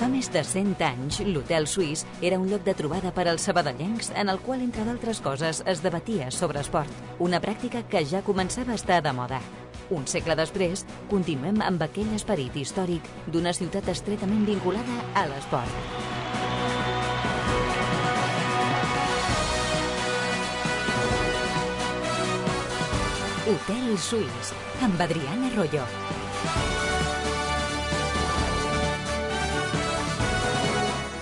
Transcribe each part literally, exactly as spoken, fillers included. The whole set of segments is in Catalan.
Fa més de cent anys, l'Hotel Suís era un lloc de trobada per als sabadellencs en el qual, entre d'altres coses, es debatia sobre esport, una pràctica que ja començava a estar de moda. Un segle després, continuem amb aquell esperit històric d'una ciutat estretament vinculada a l'esport. Hotel Suís, amb Adriana Arroyo.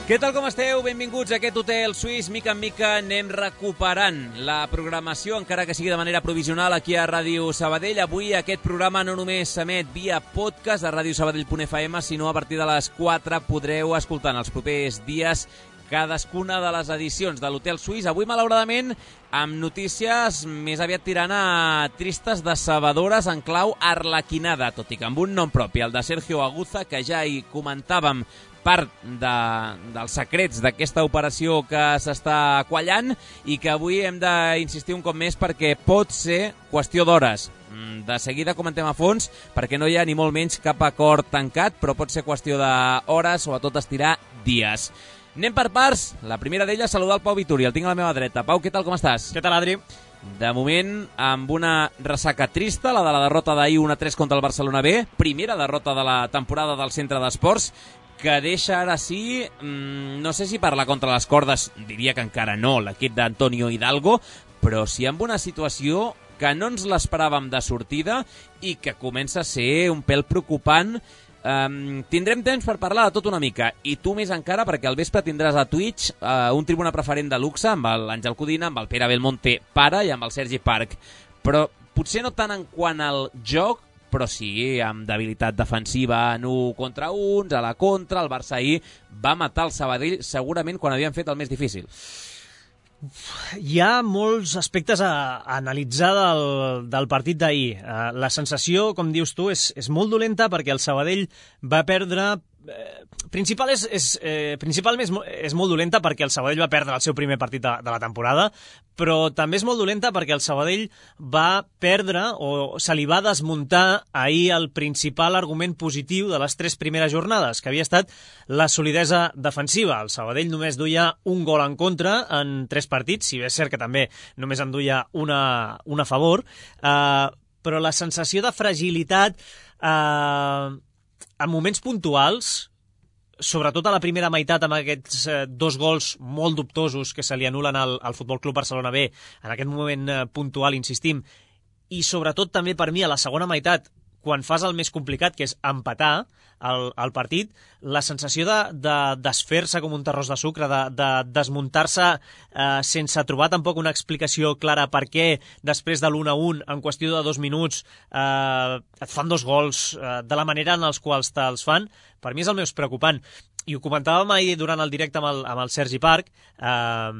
Què tal, com esteu? Benvinguts a aquest Hotel Suís. Mica en mica anem recuperant la programació, encara que sigui de manera provisional, aquí a Ràdio Sabadell. Avui aquest programa no només s'emet via podcast a radio sabadell punt f m, sinó a partir de les quatre podreu escoltar en els propers dies cadascuna de les edicions de l'Hotel Suís. Avui, malauradament, amb notícies més aviat tirant a tristes decebedores en clau arlequinada, tot i que amb un nom propi, el de Sergio Aguza, que ja hi comentàvem part de, dels secrets d'aquesta operació que s'està quallant i que avui hem d'insistir un cop més perquè pot ser qüestió d'hores. De seguida comentem a fons perquè no hi ha ni molt menys cap acord tancat, però pot ser qüestió d'hores, sobretot estirar dies. Anem per parts. La primera d'elles, saludar el Pau Vituri, el tinc a la meva dreta. Pau, què tal, com estàs? Què tal, Adri? De moment, amb una ressaca trista, la de la derrota d'ahir un a tres contra el Barcelona B, primera derrota de la temporada del Centre d'Esports, que deixa ara sí, mmm, no sé si parlar contra les cordes, diria que encara no, l'equip d'Antonio Hidalgo, però sí amb una situació que no ens l'esperàvem de sortida i que comença a ser un pèl preocupant. Um, tindrem temps per parlar de tot una mica, i tu més encara, perquè al vespre tindràs a Twitch uh, un tribuna preferent de luxe amb l'Àngel Codina, amb el Pere Belmonte pare i amb el Sergi Parc, però potser no tant en quant al joc, però sí amb debilitat defensiva en un contra uns, a la contra. El Barça ahir va matar el Sabadell segurament quan havien fet el més difícil. Hi ha molts aspectes a, a analitzar del, del partit d'ahir. Uh, la sensació, com dius tu, és, és molt dolenta perquè el Sabadell va perdre... Eh, principal és, és, eh, principalment és, és molt dolenta perquè el Sabadell va perdre el seu primer partit de, de la temporada, però també és molt dolenta perquè el Sabadell va perdre o se li va desmuntar ahir el principal argument positiu de les tres primeres jornades, que havia estat la solidesa defensiva. El Sabadell només duia un gol en contra en tres partits, si bé és cert que també només en duia una, una a favor, eh, però la sensació de fragilitat eh, en moments puntuals, sobretot a la primera meitat amb aquests eh, dos gols molt dubtosos que se li anulen al, al Futbol Club Barcelona B, en aquest moment eh, puntual, insistim, i sobretot també per mi a la segona meitat, quan fas el més complicat, que és empatar el, el partit, la sensació de, de desfer-se com un terròs de sucre, de, de desmuntar-se eh, sense trobar tampoc una explicació clara per què després de l'un a un, en qüestió de dos minuts, eh, et fan dos gols eh, de la manera en els quals te'ls fan, per mi és el més preocupant. I ho comentàvem ahir durant el directe amb el, amb el Sergi Parc, eh,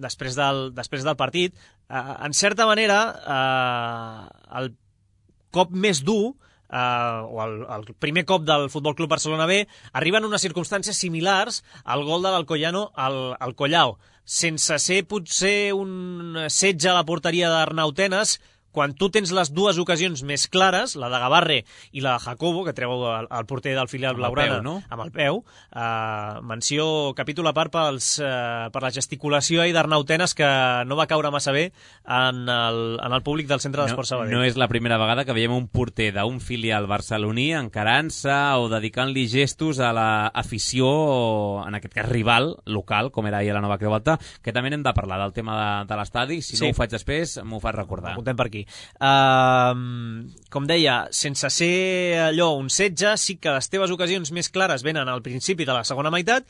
després, del, després del partit, eh, en certa manera, eh, el cop més dur, eh, o el, el primer cop del Futbol Club Barcelona B, arriba en unes circumstàncies similars al gol de l'Alcoyano al, al Collao, sense ser potser un setge a la porteria d'Arnau Tenas. Quan tu tens les dues ocasions més clares, la de Gavarre i la de Jacobo, que treu el, el porter del filial blaugrana no? amb el peu, eh, menció, capítol a part pels, eh, per la gesticulació d'Arnau Tenas, que no va caure massa bé en el, en el públic del Centre d'Esports no, Sabadell. No és la primera vegada que veiem un porter d'un filial barceloní encarant-se o dedicant-li gestos a l'afició, en aquest cas rival, local, com era ahir a la Nova Creu Alta, que també n'hem de parlar del tema de, de l'estadi. Si sí. no ho faig després, m'ho fas recordar. Apuntem per aquí. Uh, com deia, sense ser allò un setge, sí que les teves ocasions més clares venen al principi de la segona meitat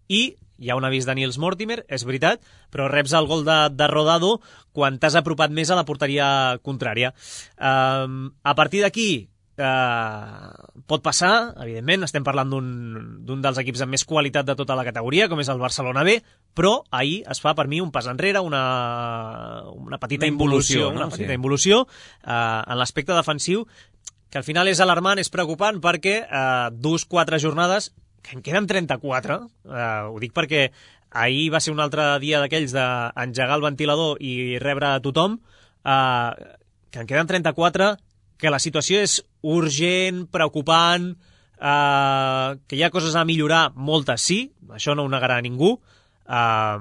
i hi ha un avís de Nils Mortimer, és veritat, però reps el gol de, de Rodado quan t'has apropat més a la porteria contrària. Uh, a partir d'aquí Uh, pot passar, evidentment, estem parlant d'un dels equips amb més qualitat de tota la categoria, com és el Barcelona B, però ahir es fa per mi un pas enrere, una, una petita una involució, involució, no? una petita sí. involució uh, en l'aspecte defensiu, que al final és alarmant, és preocupant, perquè uh, dos, quatre jornades, que en queden trenta-quatre, uh, ho dic perquè ahir va ser un altre dia d'aquells d'engegar el ventilador i rebre a tothom, uh, que en queden trenta-quatre, que la situació és urgent, preocupant, Uh, que hi ha coses a millorar, moltes sí, això no ho negarà ningú, uh,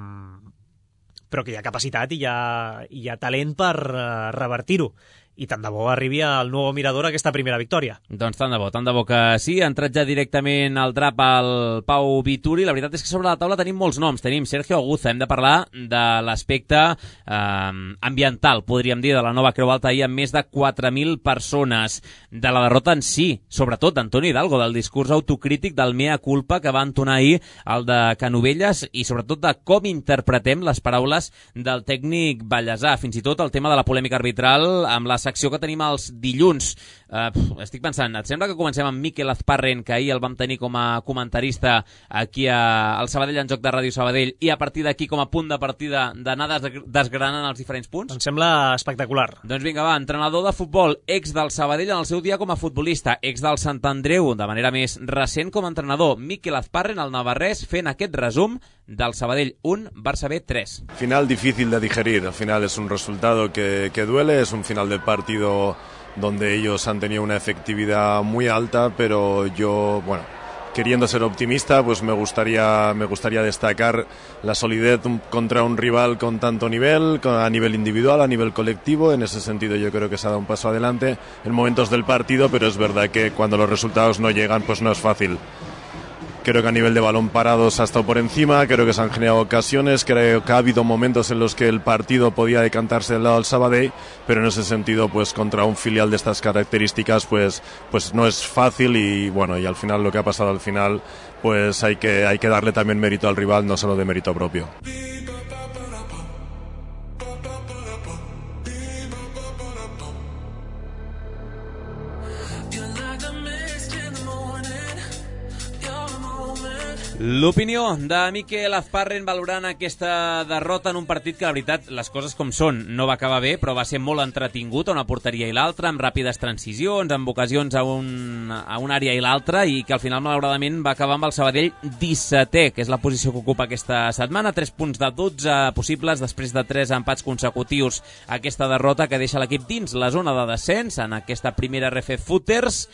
però que hi ha capacitat i hi ha, hi ha talent per uh, revertir-ho. I tant de bo arribi al nou Mirador aquesta primera victòria. Doncs tant de bo, tant de bo que sí. Ha entrat ja directament al drap al Pau Vituri. La veritat és que sobre la taula tenim molts noms. Tenim Sergio Aguza. Hem de parlar de l'aspecte eh, ambiental, podríem dir, de la nova Creu Alta ahir amb més de quatre mil persones. De la derrota en si, sobretot d'Antoni Hidalgo, del discurs autocrític del mea culpa que va entonar ahir el de Canovelles i sobretot de com interpretem les paraules del tècnic Ballesà. Fins i tot el tema de la polèmica arbitral amb la secció que tenim els dilluns. Uh, pf, estic pensant, et sembla que comencem amb Mikel Azparren, que ahir el vam tenir com a comentarista aquí a, al Sabadell en Joc de Ràdio Sabadell, i a partir d'aquí com a punt de partida d'anar des, desgranant els diferents punts? Em sembla espectacular. Doncs vinga, va, entrenador de futbol, ex del Sabadell en el seu dia com a futbolista, ex del Sant Andreu de manera més recent com a entrenador. Mikel Azparren, el navarrès, fent aquest resum del Sabadell un, Barça B tres. Final difícil de digerir, al final es un resultado que, que duele, es un final de partido donde ellos han tenido una efectividad muy alta, pero yo, bueno, queriendo ser optimista, pues me gustaría, me gustaría destacar la solidez contra un rival con tanto nivel, a nivel individual, a nivel colectivo. En ese sentido yo creo que se ha dado un paso adelante en momentos del partido, pero es verdad que cuando los resultados no llegan, pues no es fácil. Creo que a nivel de balón parado se ha estado por encima, creo que se han generado ocasiones, creo que ha habido momentos en los que el partido podía decantarse del lado del Sabadell, pero en ese sentido, pues contra un filial de estas características, pues, pues no es fácil y bueno, y al final lo que ha pasado al final, pues hay que, hay que darle también mérito al rival, no solo de mérito propio. L'opinió de Mikel Azparren valorant aquesta derrota en un partit que, la veritat, les coses com són, no va acabar bé, però va ser molt entretingut a una porteria i l'altra, amb ràpides transicions, amb ocasions a, un, a una àrea i l'altra, i que al final, malauradament, va acabar amb el Sabadell dissetè, que és la posició que ocupa aquesta setmana, tres punts de dotze possibles, després de tres empats consecutius, aquesta derrota que deixa l'equip dins la zona de descens en aquesta primera R F Footers.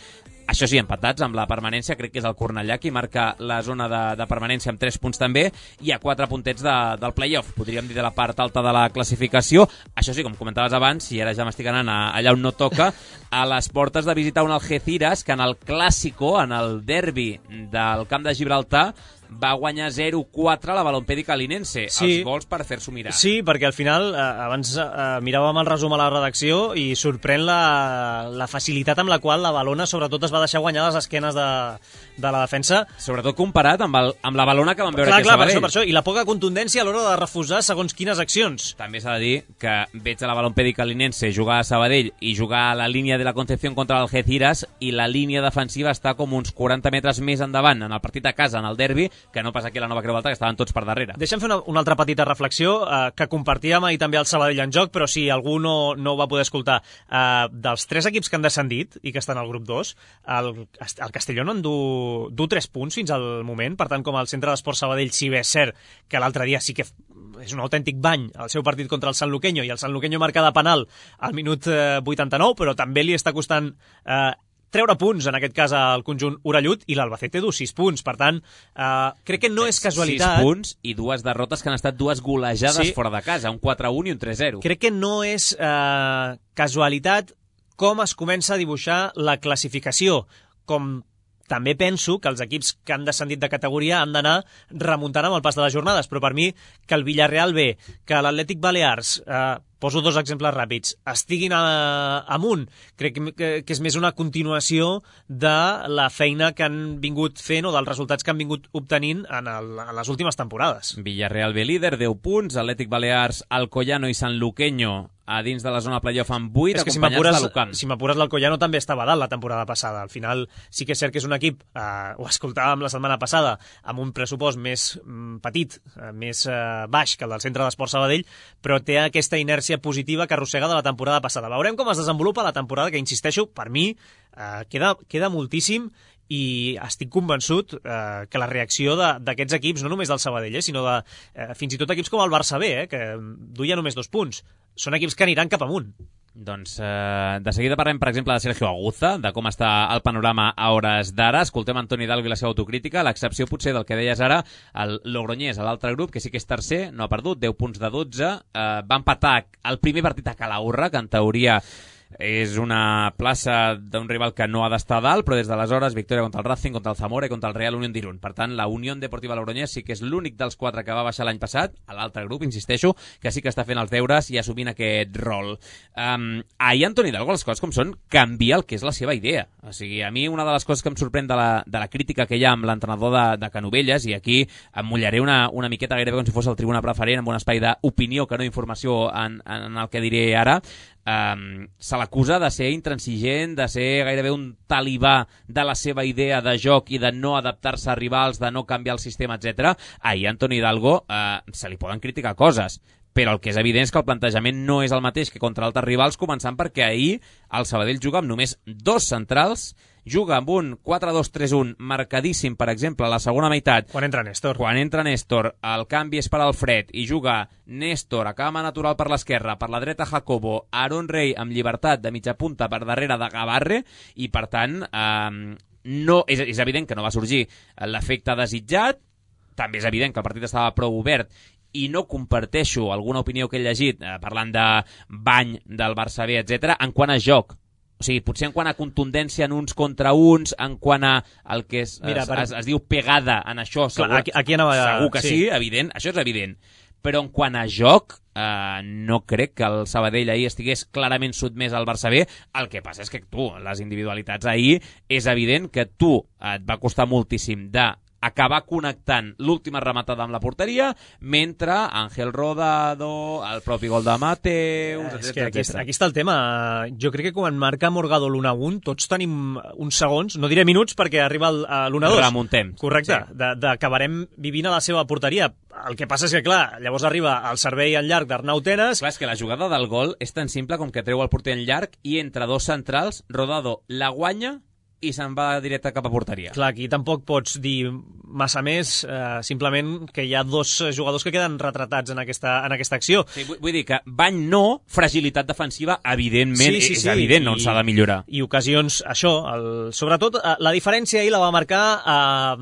Això sí, empatats amb la permanència, crec que és el Cornellà qui marca la zona de, de permanència amb tres punts també, i a quatre puntets de, del play-off, podríem dir de la part alta de la classificació. Això sí, com comentaves abans, i ara ja m'estic anant a, allà on no toca, a les portes de visitar un Algeciras que en el Clàssico, en el derbi del Camp de Gibraltar, va guanyar zero quatre la Balompèdica Linense. Sí. Els gols per fer-s'ho mirar. Sí, perquè al final, eh, abans eh, miràvem el resum a la redacció i sorprèn la, la facilitat amb la qual la Balona sobretot es va deixar guanyar les esquenes de, de la defensa. Sobretot comparat amb, el, amb la Balona que vam veure clar, aquí a Sabadell. Per això, per això. I la poca contundència a l'hora de refusar segons quines accions. També s'ha de dir que veig a la Balompèdica Linense jugar a Sabadell i jugar a la línia de la Concepción contra l'Algeciras, i la línia defensiva està com uns quaranta metres més endavant en el partit a casa, en el derbi, que no passa aquí a la Nova Creu Alta, que estaven tots per darrere. Deixa'm fer una, una altra petita reflexió eh, que compartíem ahir també al Sabadell en Joc, però si algú no, no ho va poder escoltar. Eh, dels tres equips que han descendit i que estan al grup dos, el, el Castellón en du, du tres punts fins al moment, per tant, com el Centre d'Esport Sabadell, si bé és cert que l'altre dia sí que és un autèntic bany el seu partit contra el Sanluqueño, i el Sanluqueño marca de penal al minut eh, vuitanta-nou, però també li està costant eh, treure punts, en aquest cas al conjunt orellut, i l'Albacete du sis punts. Per tant, eh, crec que no és casualitat. sis punts i dues derrotes que han estat dues golejades sí. fora de casa, un quatre a un i un tres a zero. Crec que no és eh, casualitat com es comença a dibuixar la classificació, com també penso que els equips que han descendit de categoria han d'anar remuntant amb el pas de les jornades, però per mi que el Villarreal B, que l'Atlètic Balears, eh, poso dos exemples ràpids, estiguin a, amunt, crec que, que és més una continuació de la feina que han vingut fent o dels resultats que han vingut obtenint en, el, en les últimes temporades. Villarreal B líder, deu punts, Atlètic Balears, Alcoyano i Sanluqueño a dins de la zona playoff amb vuit, és que acompanyats de l'Ucam. Si m'apures, l'Alcoyano també estava dalt la temporada passada. Al final sí que és cert que és un equip, eh, ho escoltàvem la setmana passada, amb un pressupost més mm, petit, eh, més eh, baix que el del Centre d'Esport Sabadell, però té aquesta inèrcia positiva que arrossega de la temporada passada. Veurem com es desenvolupa la temporada, que, insisteixo, per mi eh, queda, queda moltíssim, i estic convençut eh, que la reacció d'aquests equips, no només del Sabadell, eh, sinó de eh, fins i tot equips com el Barça B, eh, que duia només dos punts, són equips que aniran cap amunt. Doncs eh, de seguida parlem, per exemple, de Sergio Aguza, de com està el panorama a hores d'ara. Escoltem Antoni Hidalgo i la seva autocrítica, l'excepció potser del que deies ara, el Logroñés, a l'altre grup, que sí que és tercer, no ha perdut, deu punts de dotze, eh, va empatar el primer partit a Calahorra, que en teoria és una plaça d'un rival que no ha d'estar dalt, però des d'aleshores victòria contra el Racing, contra el Zamora i contra el Real Unión d'Irún. Per tant, la Unión Deportiva Logroñés sí que és l'únic dels quatre que va baixar l'any passat, a l'altre grup, insisteixo, que sí que està fent els deures i assumint aquest rol. Um, ahir Antoni Hidalgo, les coses com són, canvia el que és la seva idea. O sigui, a mi una de les coses que em sorprèn de la, de la crítica que hi ha amb l'entrenador de, de Canovelles, i aquí em mullaré una, una miqueta gairebé com si fos el tribuna preferent, amb un espai d'opinió que no informació en, en el que diré ara, Um, se l'acusa de ser intransigent, de ser gairebé un talibà de la seva idea de joc i de no adaptar-se a rivals, de no canviar el sistema, etcètera. Ahir Antoni Hidalgo uh, se li poden criticar coses, però el que és evident és que el plantejament no és el mateix que contra altres rivals, començant perquè ahir el Sabadell juga amb només dos centrals, juga amb un quatre dos tres un marcadíssim, per exemple, a la segona meitat. Quan entra Néstor. Quan entra Néstor, el canvi és per Alfred i juga Néstor a cama natural per l'esquerra, per la dreta Jacobo, Aaron Rey amb llibertat de mitja punta per darrere de Gavarre, i per tant eh, no, és, és evident que no va sorgir l'efecte desitjat. També és evident que el partit estava prou obert i no comparteixo alguna opinió que he llegit eh, parlant de bany del Barça B, etcètera, en quant a joc. O sigui, potser en quant a contundència en uns contra uns, en quant a el que es, Mira, es, per... es, es diu pegada en això, segur, Clar, aquí, aquí anava... segur que sí. sí, evident, això és evident. Però en quant a joc, eh, no crec que el Sabadell ahir estigués clarament sotmès al Barça B. El que passa és que tu, les individualitats ahir, és evident que tu et va costar moltíssim de acabar connectant l'última rematada amb la porteria, mentre Ángel Rodado, el propi gol de Mateus, etcètera. És que aquí, aquí està el tema. Jo crec que quan marca Morgado l'u a u, tots tenim uns segons, no diré minuts perquè arriba l'u a dos. Remuntem. Correcte, sí. d'acabarem vivint a la seva porteria. El que passa és que, clar, llavors arriba el servei en llarg d'Arnau Tenes. Clar, és que la jugada del gol és tan simple com que treu el porter en llarg i entre dos centrals, Rodado la guanya i se'n va directe cap a porteria. Clar, aquí tampoc pots dir massa més, eh, simplement que hi ha dos jugadors que queden retratats en aquesta, en aquesta acció. Sí, vull, vull dir que bany no, fragilitat defensiva, evidentment, sí, sí, és sí, evident i, on s'ha de millorar. I ocasions, això, el, sobretot, la diferència ahir la va marcar eh,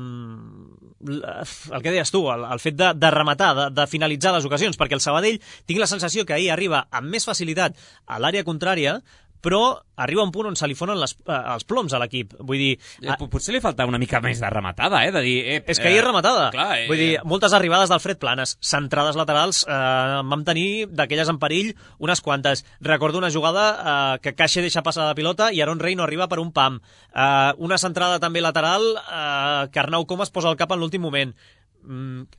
el que deies tu, el, el fet de, de rematar, de, de finalitzar les ocasions, perquè el Sabadell, tinc la sensació que ahir arriba amb més facilitat a l'àrea contrària, però arriba un punt on se li fonen les, eh, els ploms a l'equip. Vull dir... Eh, potser li falta una mica més de rematada, eh? De dir, eh és que ahir és rematada. Clar, eh, Vull dir, moltes arribades d'Alfred planes, centrades laterals, eh, vam tenir d'aquelles en perill unes quantes. Recordo una jugada eh, que Caixa deixa passar la pilota i Aaron Rey no arriba per un pam. Eh, una centrada també lateral eh, que Arnau Comas posa el cap en l'últim moment. Mm,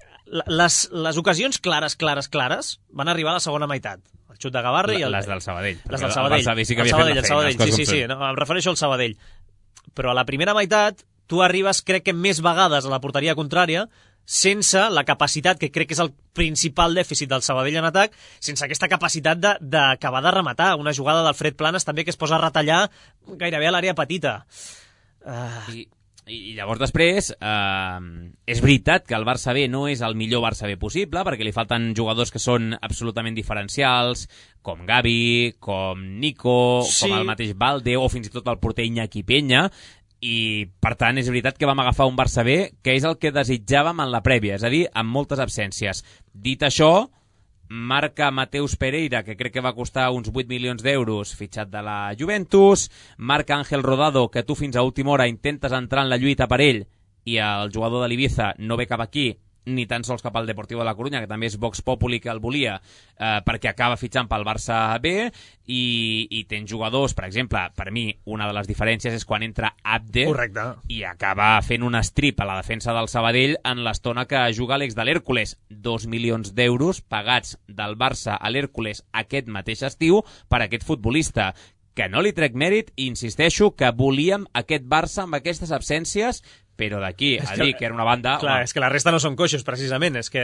les, les ocasions clares, clares, clares van arribar a la segona meitat. El xut de Gavarre i el... Les del Sabadell. Les del Sabadell. El Sabadell sí que havia Sabadell, fet la feina. El Sabadell, sí, sí, sí, no, em refereixo al Sabadell. Però a la primera meitat tu arribes, crec que més vegades a la porteria contrària, sense la capacitat, que crec que és el principal dèficit del Sabadell en atac, sense aquesta capacitat d'acabar de, de rematar. Una jugada d'Alfred Planes també que es posa a retallar gairebé a l'àrea petita. Uh... I... I llavors després, eh, és veritat que el Barça B no és el millor Barça B possible, perquè li falten jugadors que són absolutament diferencials, com Gavi, com Nico, sí. com el mateix Balde, o fins i tot el porter Iñaki Peña, i per tant és veritat que vam agafar un Barça B que és el que desitjàvem en la prèvia, és a dir, amb moltes absències. Dit això, marca Mateus Pereira, que crec que va costar uns vuit milions d'euros, fitxat de la Juventus, marca Ángel Rodado, que tu fins a última hora intentes entrar en la lluita per ell, i el jugador de l'Ibiza no ve cap aquí, ni tan sols cap al Deportivo de la Coruña, que també és Vox Populi que el volia, eh, perquè acaba fitxant pel Barça B, i, i tens jugadors, per exemple, per mi, una de les diferències és quan entra Abde, correcte, i acaba fent un strip a la defensa del Sabadell en l'estona que juga l'ex de l'Hèrcules. Dos milions d'euros pagats del Barça a l'Hèrcules aquest mateix estiu per aquest futbolista, que no li trec mèrit, i insisteixo que volíem aquest Barça amb aquestes absències però d'aquí a dir que era una banda... Clar, home. És que la resta no són coixos, precisament. És que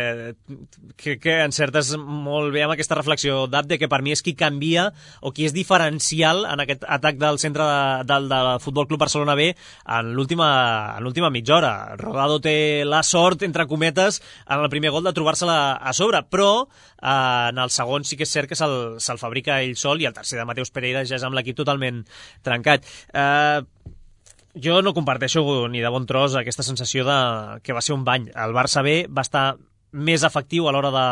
crec que encertes molt bé amb aquesta reflexió d'Abde, que per mi és qui canvia o qui és diferencial en aquest atac del centre de, del, del Futbol Club Barcelona B en l'última mitja hora. Rodado té la sort, entre cometes, en el primer gol de trobar-se-la a sobre, però eh, en el segon sí que és cert que se'l se fabrica ell sol, i el tercer de Mateus Pereira ja és amb l'equip totalment trencat. Eh... Jo no comparteixo ni de bon tros aquesta sensació de que va ser un bany. El Barça B va estar més efectiu a l'hora de,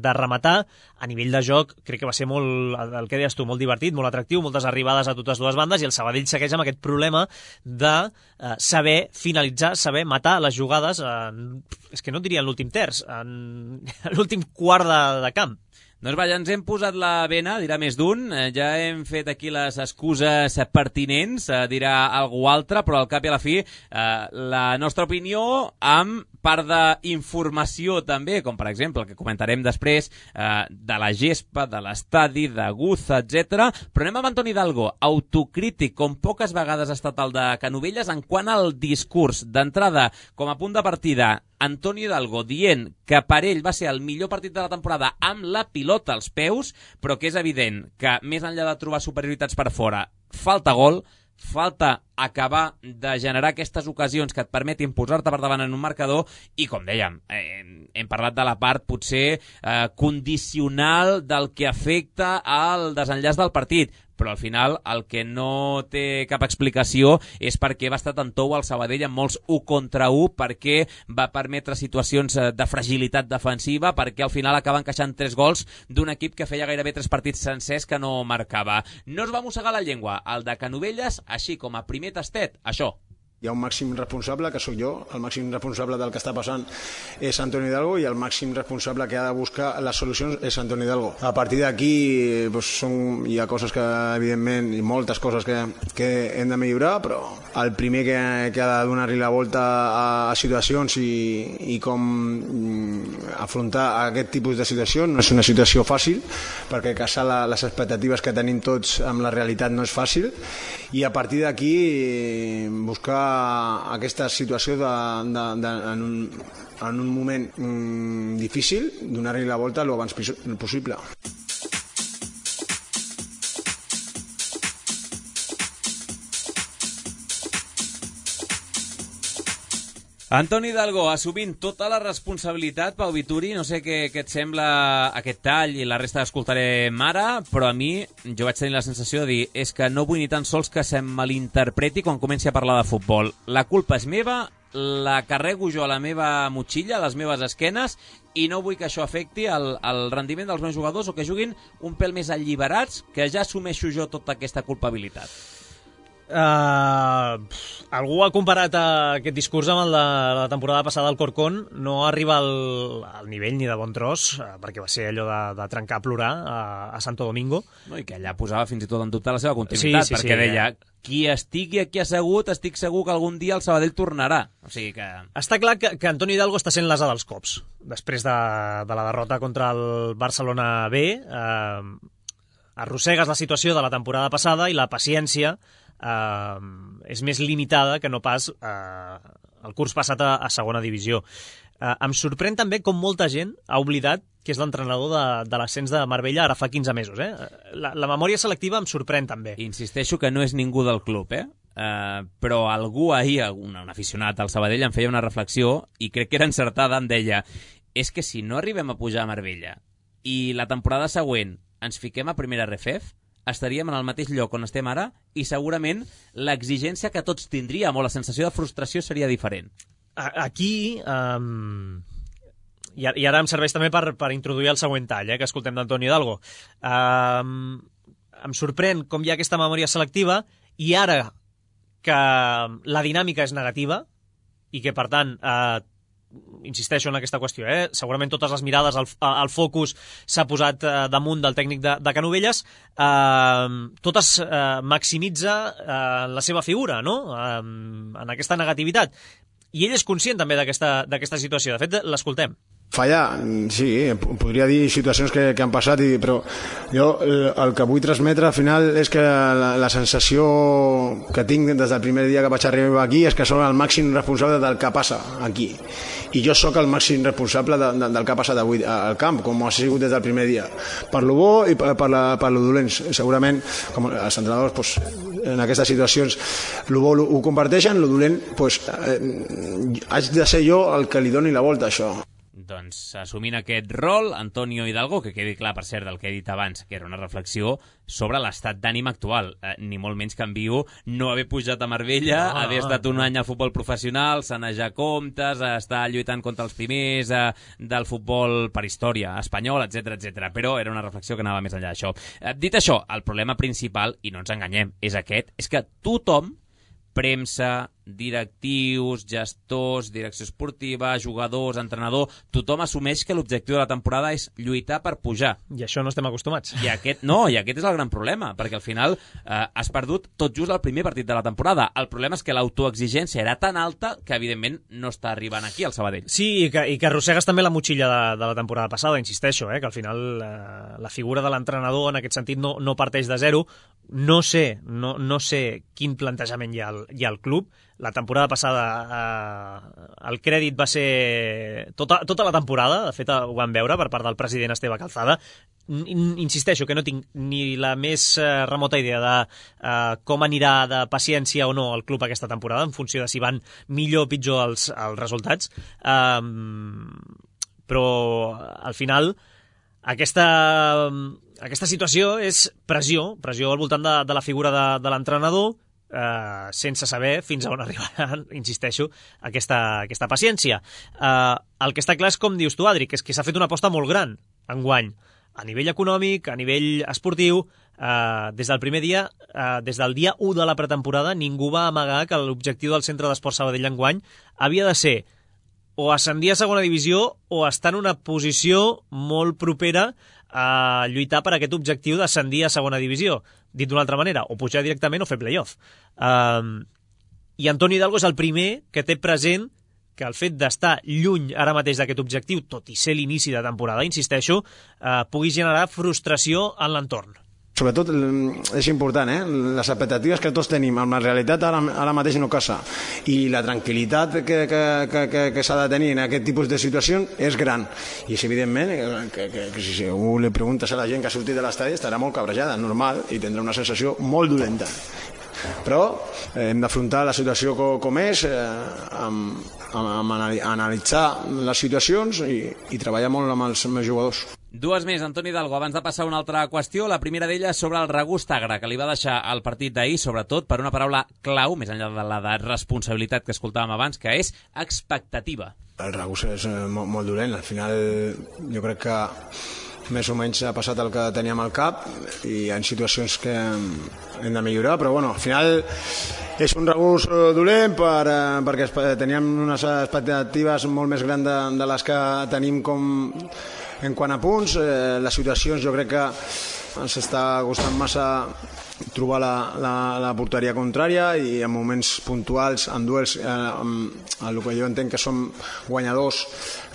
de rematar. A nivell de joc, crec que va ser molt, el que deies tu, molt divertit, molt atractiu, moltes arribades a totes dues bandes, i el Sabadell segueix amb aquest problema de eh, saber finalitzar, saber matar les jugades, en, és que no diria en l'últim terç, en l'últim quart de, de camp. Doncs vaja, ens hem posat la bena, dirà més d'un, ja hem fet aquí les excuses pertinents, dirà algú altre, però al cap i a la fi la nostra opinió amb part d'informació també, com per exemple el que comentarem després de la gespa, de l'estadi, de Guza, etcètera. Però anem amb Antoni Hidalgo, autocrític, com poques vegades ha estat el de Canovelles, en quant al discurs d'entrada com a punt de partida. Antoni Hidalgo dient que per ell va ser el millor partit de la temporada amb la pilota als peus, però que és evident que més enllà de trobar superioritats per fora, falta gol, falta acabar de generar aquestes ocasions que et permetin posar-te per davant en un marcador i, com dèiem, eh, hem parlat de la part potser eh, condicional del que afecta al desenllaç del partit, però al final el que no té cap explicació és perquè va estar tan tou al Sabadell amb molts u contra u, perquè va permetre situacions de fragilitat defensiva, perquè al final acaba encaixant tres gols d'un equip que feia gairebé tres partits sencers que no marcava. No es va mossegar la llengua, el de Canovelles, així com a primer tastet, això. Hi ha un màxim responsable, que sóc jo, el màxim responsable del que està passant és Antoni Hidalgo, i el màxim responsable que ha de buscar les solucions és Antoni Hidalgo. A partir d'aquí doncs, són, hi ha coses que, evidentment, i moltes coses que, que hem de millorar, però el primer que, que ha de donar-li la volta a, a situacions i, i com afrontar aquest tipus de situacions no és una situació fàcil, perquè casar la, les expectatives que tenim tots amb la realitat no és fàcil, i a partir d'aquí buscar aquesta situació de, de, de, en, un, en un moment mm, difícil, donar-li la volta el abans possible. Antoni Hidalgo, assumint tota la responsabilitat, Pau Vituri, no sé què, què et sembla aquest tall i la resta l'escoltarem ara, però a mi jo vaig tenir la sensació de dir és que no vull ni tan sols que se'm malinterpreti quan comenci a parlar de futbol. La culpa és meva, la carrego jo a la meva motxilla, a les meves esquenes, i no vull que això afecti el, el rendiment dels meus jugadors o que juguin un pèl més alliberats, que ja assumeixo jo tota aquesta culpabilitat. Uh, algú ha comparat uh, aquest discurs amb el de la temporada passada al Corcón. No arriba al, al nivell ni de bon tros, uh, perquè va ser allò de, de trencar a plorar uh, a Santo Domingo, no, i que allà posava fins i tot en dubte la seva continuïtat, sí, sí, perquè sí, deia eh? qui estigui aquí assegut, estic segur que algun dia el Sabadell tornarà. O sigui que... Està clar que, que Antoni Hidalgo està sent l'asa dels cops després de, de la derrota contra el Barcelona B. uh, arrossegues la situació de la temporada passada i la paciència Uh, és més limitada que no pas uh, el curs passat a, a segona divisió. Uh, em sorprèn també com molta gent ha oblidat que és l'entrenador de, de l'ascens de Marbella ara fa quinze mesos. Eh? La, la memòria selectiva em sorprèn també. Insisteixo que no és ningú del club, eh? Uh, però algú ahir, un, un aficionat al Sabadell, em feia una reflexió i crec que era encertada, em deia és que si no arribem a pujar a Marbella i la temporada següent ens fiquem a primera R F E F, estaríem en el mateix lloc on estem ara i segurament l'exigència que tots tindríem o la sensació de frustració seria diferent. Aquí, um, i ara em serveix també per, per introduir el següent tall, eh, que escoltem d'Antoni Hidalgo. Um, em sorprèn com hi ha aquesta memòria selectiva i ara que la dinàmica és negativa i que, per tant, eh, insisteixo en aquesta qüestió, eh? segurament totes les mirades, el, el focus s'ha posat eh, damunt del tècnic de, de Canovelles, eh, totes eh, maximitza eh, la seva figura, no? eh, en aquesta negativitat. I ell és conscient també d'aquesta d'aquesta situació. De fet, l'escoltem. Fallar, sí, podria dir situacions que, que han passat, i, però jo el que vull transmetre al final és que la, la sensació que tinc des del primer dia que vaig arribar aquí és que soc el màxim responsable del que passa aquí, i jo sóc el màxim responsable de, de, del que ha passat avui al camp, com ha sigut des del primer dia, per lo bo i per, per, la, per lo dolent. Segurament com els entrenadors pues, en aquestes situacions lo bo ho comparteixen, lo dolent pues, eh, haig de ser jo el que li doni la volta a això. Doncs, assumint aquest rol, Antonio Hidalgo, que quedi clar, per cert, del que he dit abans, que era una reflexió sobre l'estat d'ànim actual. Eh, ni molt menys canvio no haver pujat a Marbella, no, haver estat un any al futbol professional, sanejar comptes, estar lluitant contra els primers eh, del futbol per història espanyol, etcètera, etcètera. Però era una reflexió que anava més enllà d'això. Eh, dit això, el problema principal, i no ens enganyem, és aquest, és que tothom, premsa, directius, gestors, direcció esportiva, jugadors, entrenador, tothom assumeix que l'objectiu de la temporada és lluitar per pujar. I això no estem acostumats. I aquest, no, i aquest és el gran problema, perquè al final eh, has perdut tot just el primer partit de la temporada. El problema és que l'autoexigència era tan alta que, evidentment, no està arribant aquí al Sabadell. Sí, i que, i que arrossegues també la motxilla de, de la temporada passada, insisteixo, eh, que al final eh, la figura de l'entrenador en aquest sentit no, no parteix de zero. No sé, no, no sé quin plantejament hi ha al, hi ha al club. La temporada passada eh, el crèdit va ser tota, tota la temporada, de fet ho vam veure per part del president Esteve Calzada. Insisteixo que no tinc ni la més eh, remota idea de eh, com anirà de paciència o no el club aquesta temporada, en funció de si van millor o pitjor els, els resultats. Um, però al final aquesta, aquesta situació és pressió, pressió al voltant de, de la figura de, de l'entrenador, Uh, sense saber fins a on arribarà, insisteixo, aquesta, aquesta paciència. Uh, el que està clar és, com dius tu, Adri, que és que s'ha fet una aposta molt gran enguany, a nivell econòmic, a nivell esportiu. Uh, des del primer dia, uh, des del dia u de la pretemporada, ningú va amagar que l'objectiu del Centre d'Esport Sabadell enguany havia de ser o ascendir a segona divisió o estar en una posició molt propera a lluitar per aquest objectiu d'ascendir a segona divisió. Dit d'una altra manera, o pujar directament o fer playoff. Um, I Antoni Hidalgo és el primer que té present que el fet d'estar lluny ara mateix d'aquest objectiu, tot i ser l'inici de temporada, insisteixo, uh, pugui generar frustració en l'entorn. Sobretot és important, eh? Les expectatives que tots tenim amb la realitat ara, ara mateix no casa, i la tranquil·litat que, que, que, que, que s'ha de tenir en aquest tipus de situacions és gran, i és evidentment que, que, que si algú li preguntes a la gent que ha sortit de l'estadi estarà molt cabrejada, normal, i tindrà una sensació molt dolenta. Però eh, hem d'afrontar la situació com, com és, eh, amb, amb, amb analitzar les situacions i, i treballar molt amb els meus jugadors. Dues més, Antoni Hidalgo, abans de passar a una altra qüestió. La primera d'elles sobre el regust agre, que li va deixar el partit d'ahir, sobretot per una paraula clau, més enllà de la de responsabilitat que escoltàvem abans, que és expectativa. El regust és molt, molt dolent. Al final jo crec que més o menys ha passat el que teníem al cap, i hi ha situacions que hem de millorar, però bueno, al final és un regust dolent per, perquè teníem unes expectatives molt més grans de, de les que tenim com en quant a punts. Eh, les situacions jo crec que ens està costant massa trobar la, la, la porteria contrària, i en moments puntuals, en duels, eh, amb el que jo entenc que som guanyadors,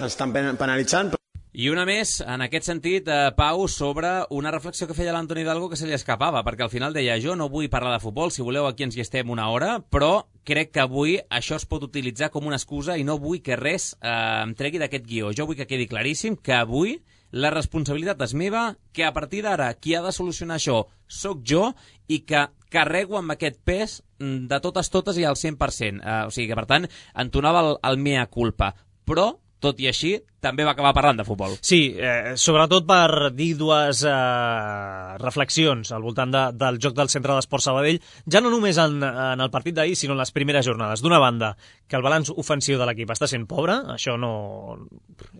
ens estan penalitzant. I una més, en aquest sentit, eh, Pau, sobre una reflexió que feia l'Antoni Hidalgo que se li escapava, perquè al final deia: jo no vull parlar de futbol, si voleu aquí ens hi estem una hora, però crec que avui això es pot utilitzar com una excusa i no vull que res eh, em tregui d'aquest guió. Jo vull que quedi claríssim que avui la responsabilitat és meva, que a partir d'ara qui ha de solucionar això sóc jo, i que carrego amb aquest pes de totes totes i al cent per cent. Eh, o sigui que, per tant, entonava el, el mea culpa. Però, tot i així, també va acabar parlant de futbol. Sí, eh, sobretot per dir dues eh, reflexions al voltant de, del joc del Centre d'Esport Sabadell, ja no només en, en el partit d'ahir, sinó en les primeres jornades. D'una banda, que el balanç ofensiu de l'equip està sent pobre, això no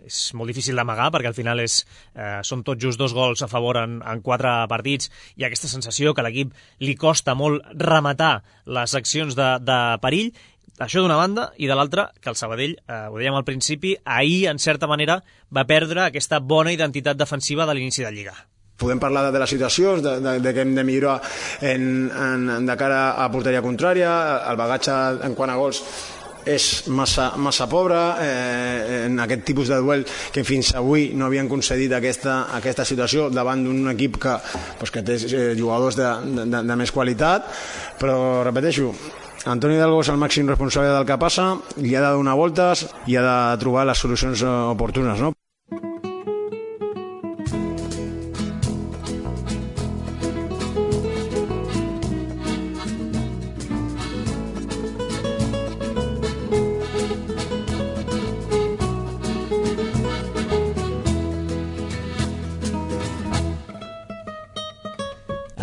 és molt difícil d'amagar, perquè al final és, eh, són tot just dos gols a favor en, en quatre partits, i aquesta sensació que a l'equip li costa molt rematar les accions de, de perill. Això d'una banda, i de l'altra, que el Sabadell, eh, ho dèiem al principi, ahir, en certa manera, va perdre aquesta bona identitat defensiva de l'inici de Lliga. Podem parlar de, de les situacions, de, de, de que hem de millorar en, en, de cara a porteria contrària, el bagatge en quant a gols és massa, massa pobre, eh, en aquest tipus de duel que fins avui no havien concedit aquesta, aquesta situació davant d'un equip que, pues, que té eh, jugadors de, de, de més qualitat, però repeteixo, Antoni Hidalgo és el màxim responsable del que passa, li ha de donar voltes i ha de trobar les solucions oportunes, no?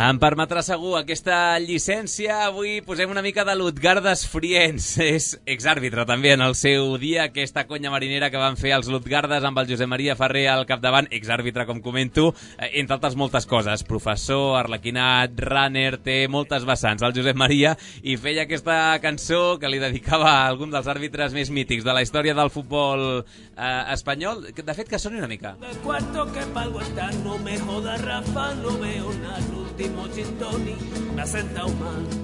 Em permetrà segur aquesta llicència. Avui posem una mica de Lutgardes Friens. És exàrbitre també en el seu dia, aquesta conya marinera que van fer els Lutgardes amb el Josep Maria Ferrer al capdavant, exàrbitre com comento, entre altres moltes coses. Professor, arlequinat, runner, té moltes vessants el Josep Maria, i feia aquesta cançó que li dedicava a algun dels àrbitres més mítics de la història del futbol eh, espanyol. De fet, que soni una mica. De cuarto que palgo está, no me joda Rafa, no veo nada.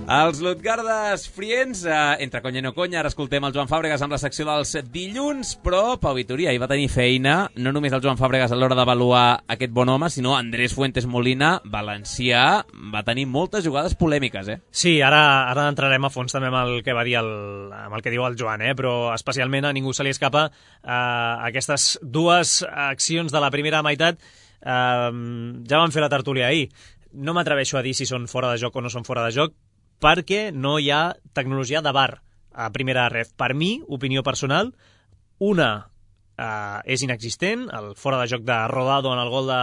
Els Lutgardes Friens, eh, entre conya i no conya. Ara escoltem el Joan Fàbregas amb la secció dels dilluns, però Pau Vitoria hi va tenir feina, no només el Joan Fàbregas a l'hora d'avaluar aquest bon home, sinó Andrés Fuentes Molina, valencià, va tenir moltes jugades polèmiques, eh? Sí, ara, ara entrarem a fons també amb el que va dir el, amb el que diu el Joan, eh? Però especialment a ningú se li escapa eh, aquestes dues accions de la primera meitat. Eh, ja vam fer la tertúlia ahir. No m'atreveixo a dir si són fora de joc o no són fora de joc, perquè no hi ha tecnologia de V A R a primera ref. Per mi, opinió personal, una eh, és inexistent, el fora de joc de Rodado en el gol de...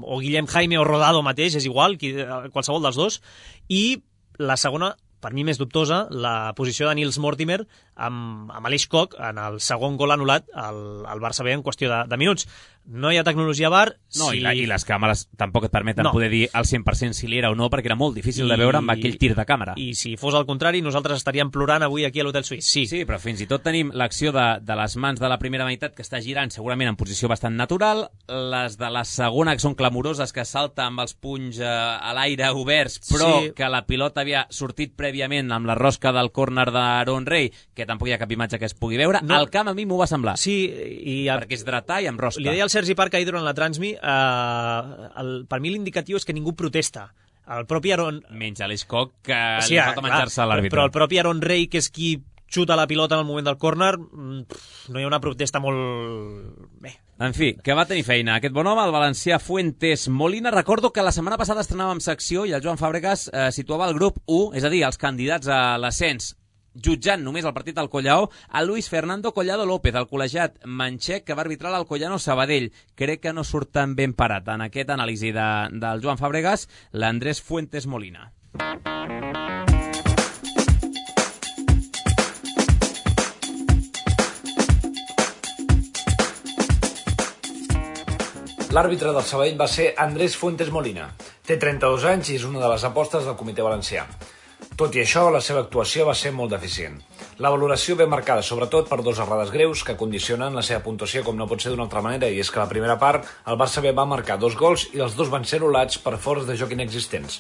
o Guillem Jaime o Rodado mateix, és igual, qui, qualsevol dels dos, i la segona, per mi més dubtosa, la posició de Nils Mortimer amb, amb Aleix Koch en el segon gol anul·lat al, al Barça B en qüestió de, de minuts. No hi ha tecnologia V A R. No, si... i, la, i les càmeres tampoc et permeten no. poder dir al cent per cent si l'era o no, perquè era molt difícil I... de veure amb aquell tir de càmera. I si fos al contrari, nosaltres estaríem plorant avui aquí a l'Hotel Suís. Sí, sí, però fins i tot tenim l'acció de, de les mans de la primera meitat que està girant segurament en posició bastant natural, les de la segona que són clamoroses, que salta amb els punys eh, a l'aire oberts, però sí. que la pilota havia sortit prèviament amb la rosca del córner d'Aaron Rey, que tampoc hi ha cap imatge que es pugui veure. No. Al camp a mi m'ho va semblar. Sí, i... perquè és dretà i amb rosca. Li deia al Sergi Parc ahir durant la Transmi, eh, el, per mi l'indicatiu és que ningú protesta. El propi Aaron... Menys Aleix Koch, que sí, li falta menjar-se a l'àrbitre. Però el propi Aaron Rey, que és qui xuta la pilota en el moment del córner, no hi ha una protesta molt... bé. En fi, que va tenir feina aquest bon home, el valencià Fuentes Molina. Recordo que la setmana passada estrenàvem secció i el Joan Fàbregas eh, situava el grup u, és a dir, els candidats a l'ascens, jutjant només el partit del Collao, a Luis Fernando Collado López, el col·legiat manxec que va arbitrar l'Alcoyano Sabadell. Crec que no surt tan ben parat en aquest anàlisi de, del Joan Fàbregas, l'Andrés Fuentes Molina. L'àrbitre del Sabadell va ser Andrés Fuentes Molina. Té trenta-dos anys i és una de les apostes del comitè valencià. Tot i això, la seva actuació va ser molt deficient. La valoració ve marcada sobretot per dos errades greus que condicionen la seva puntuació com no pot ser d'una altra manera, i és que la primera part el Barça B va marcar dos gols i els dos van ser anul·lats per fors de joc inexistents.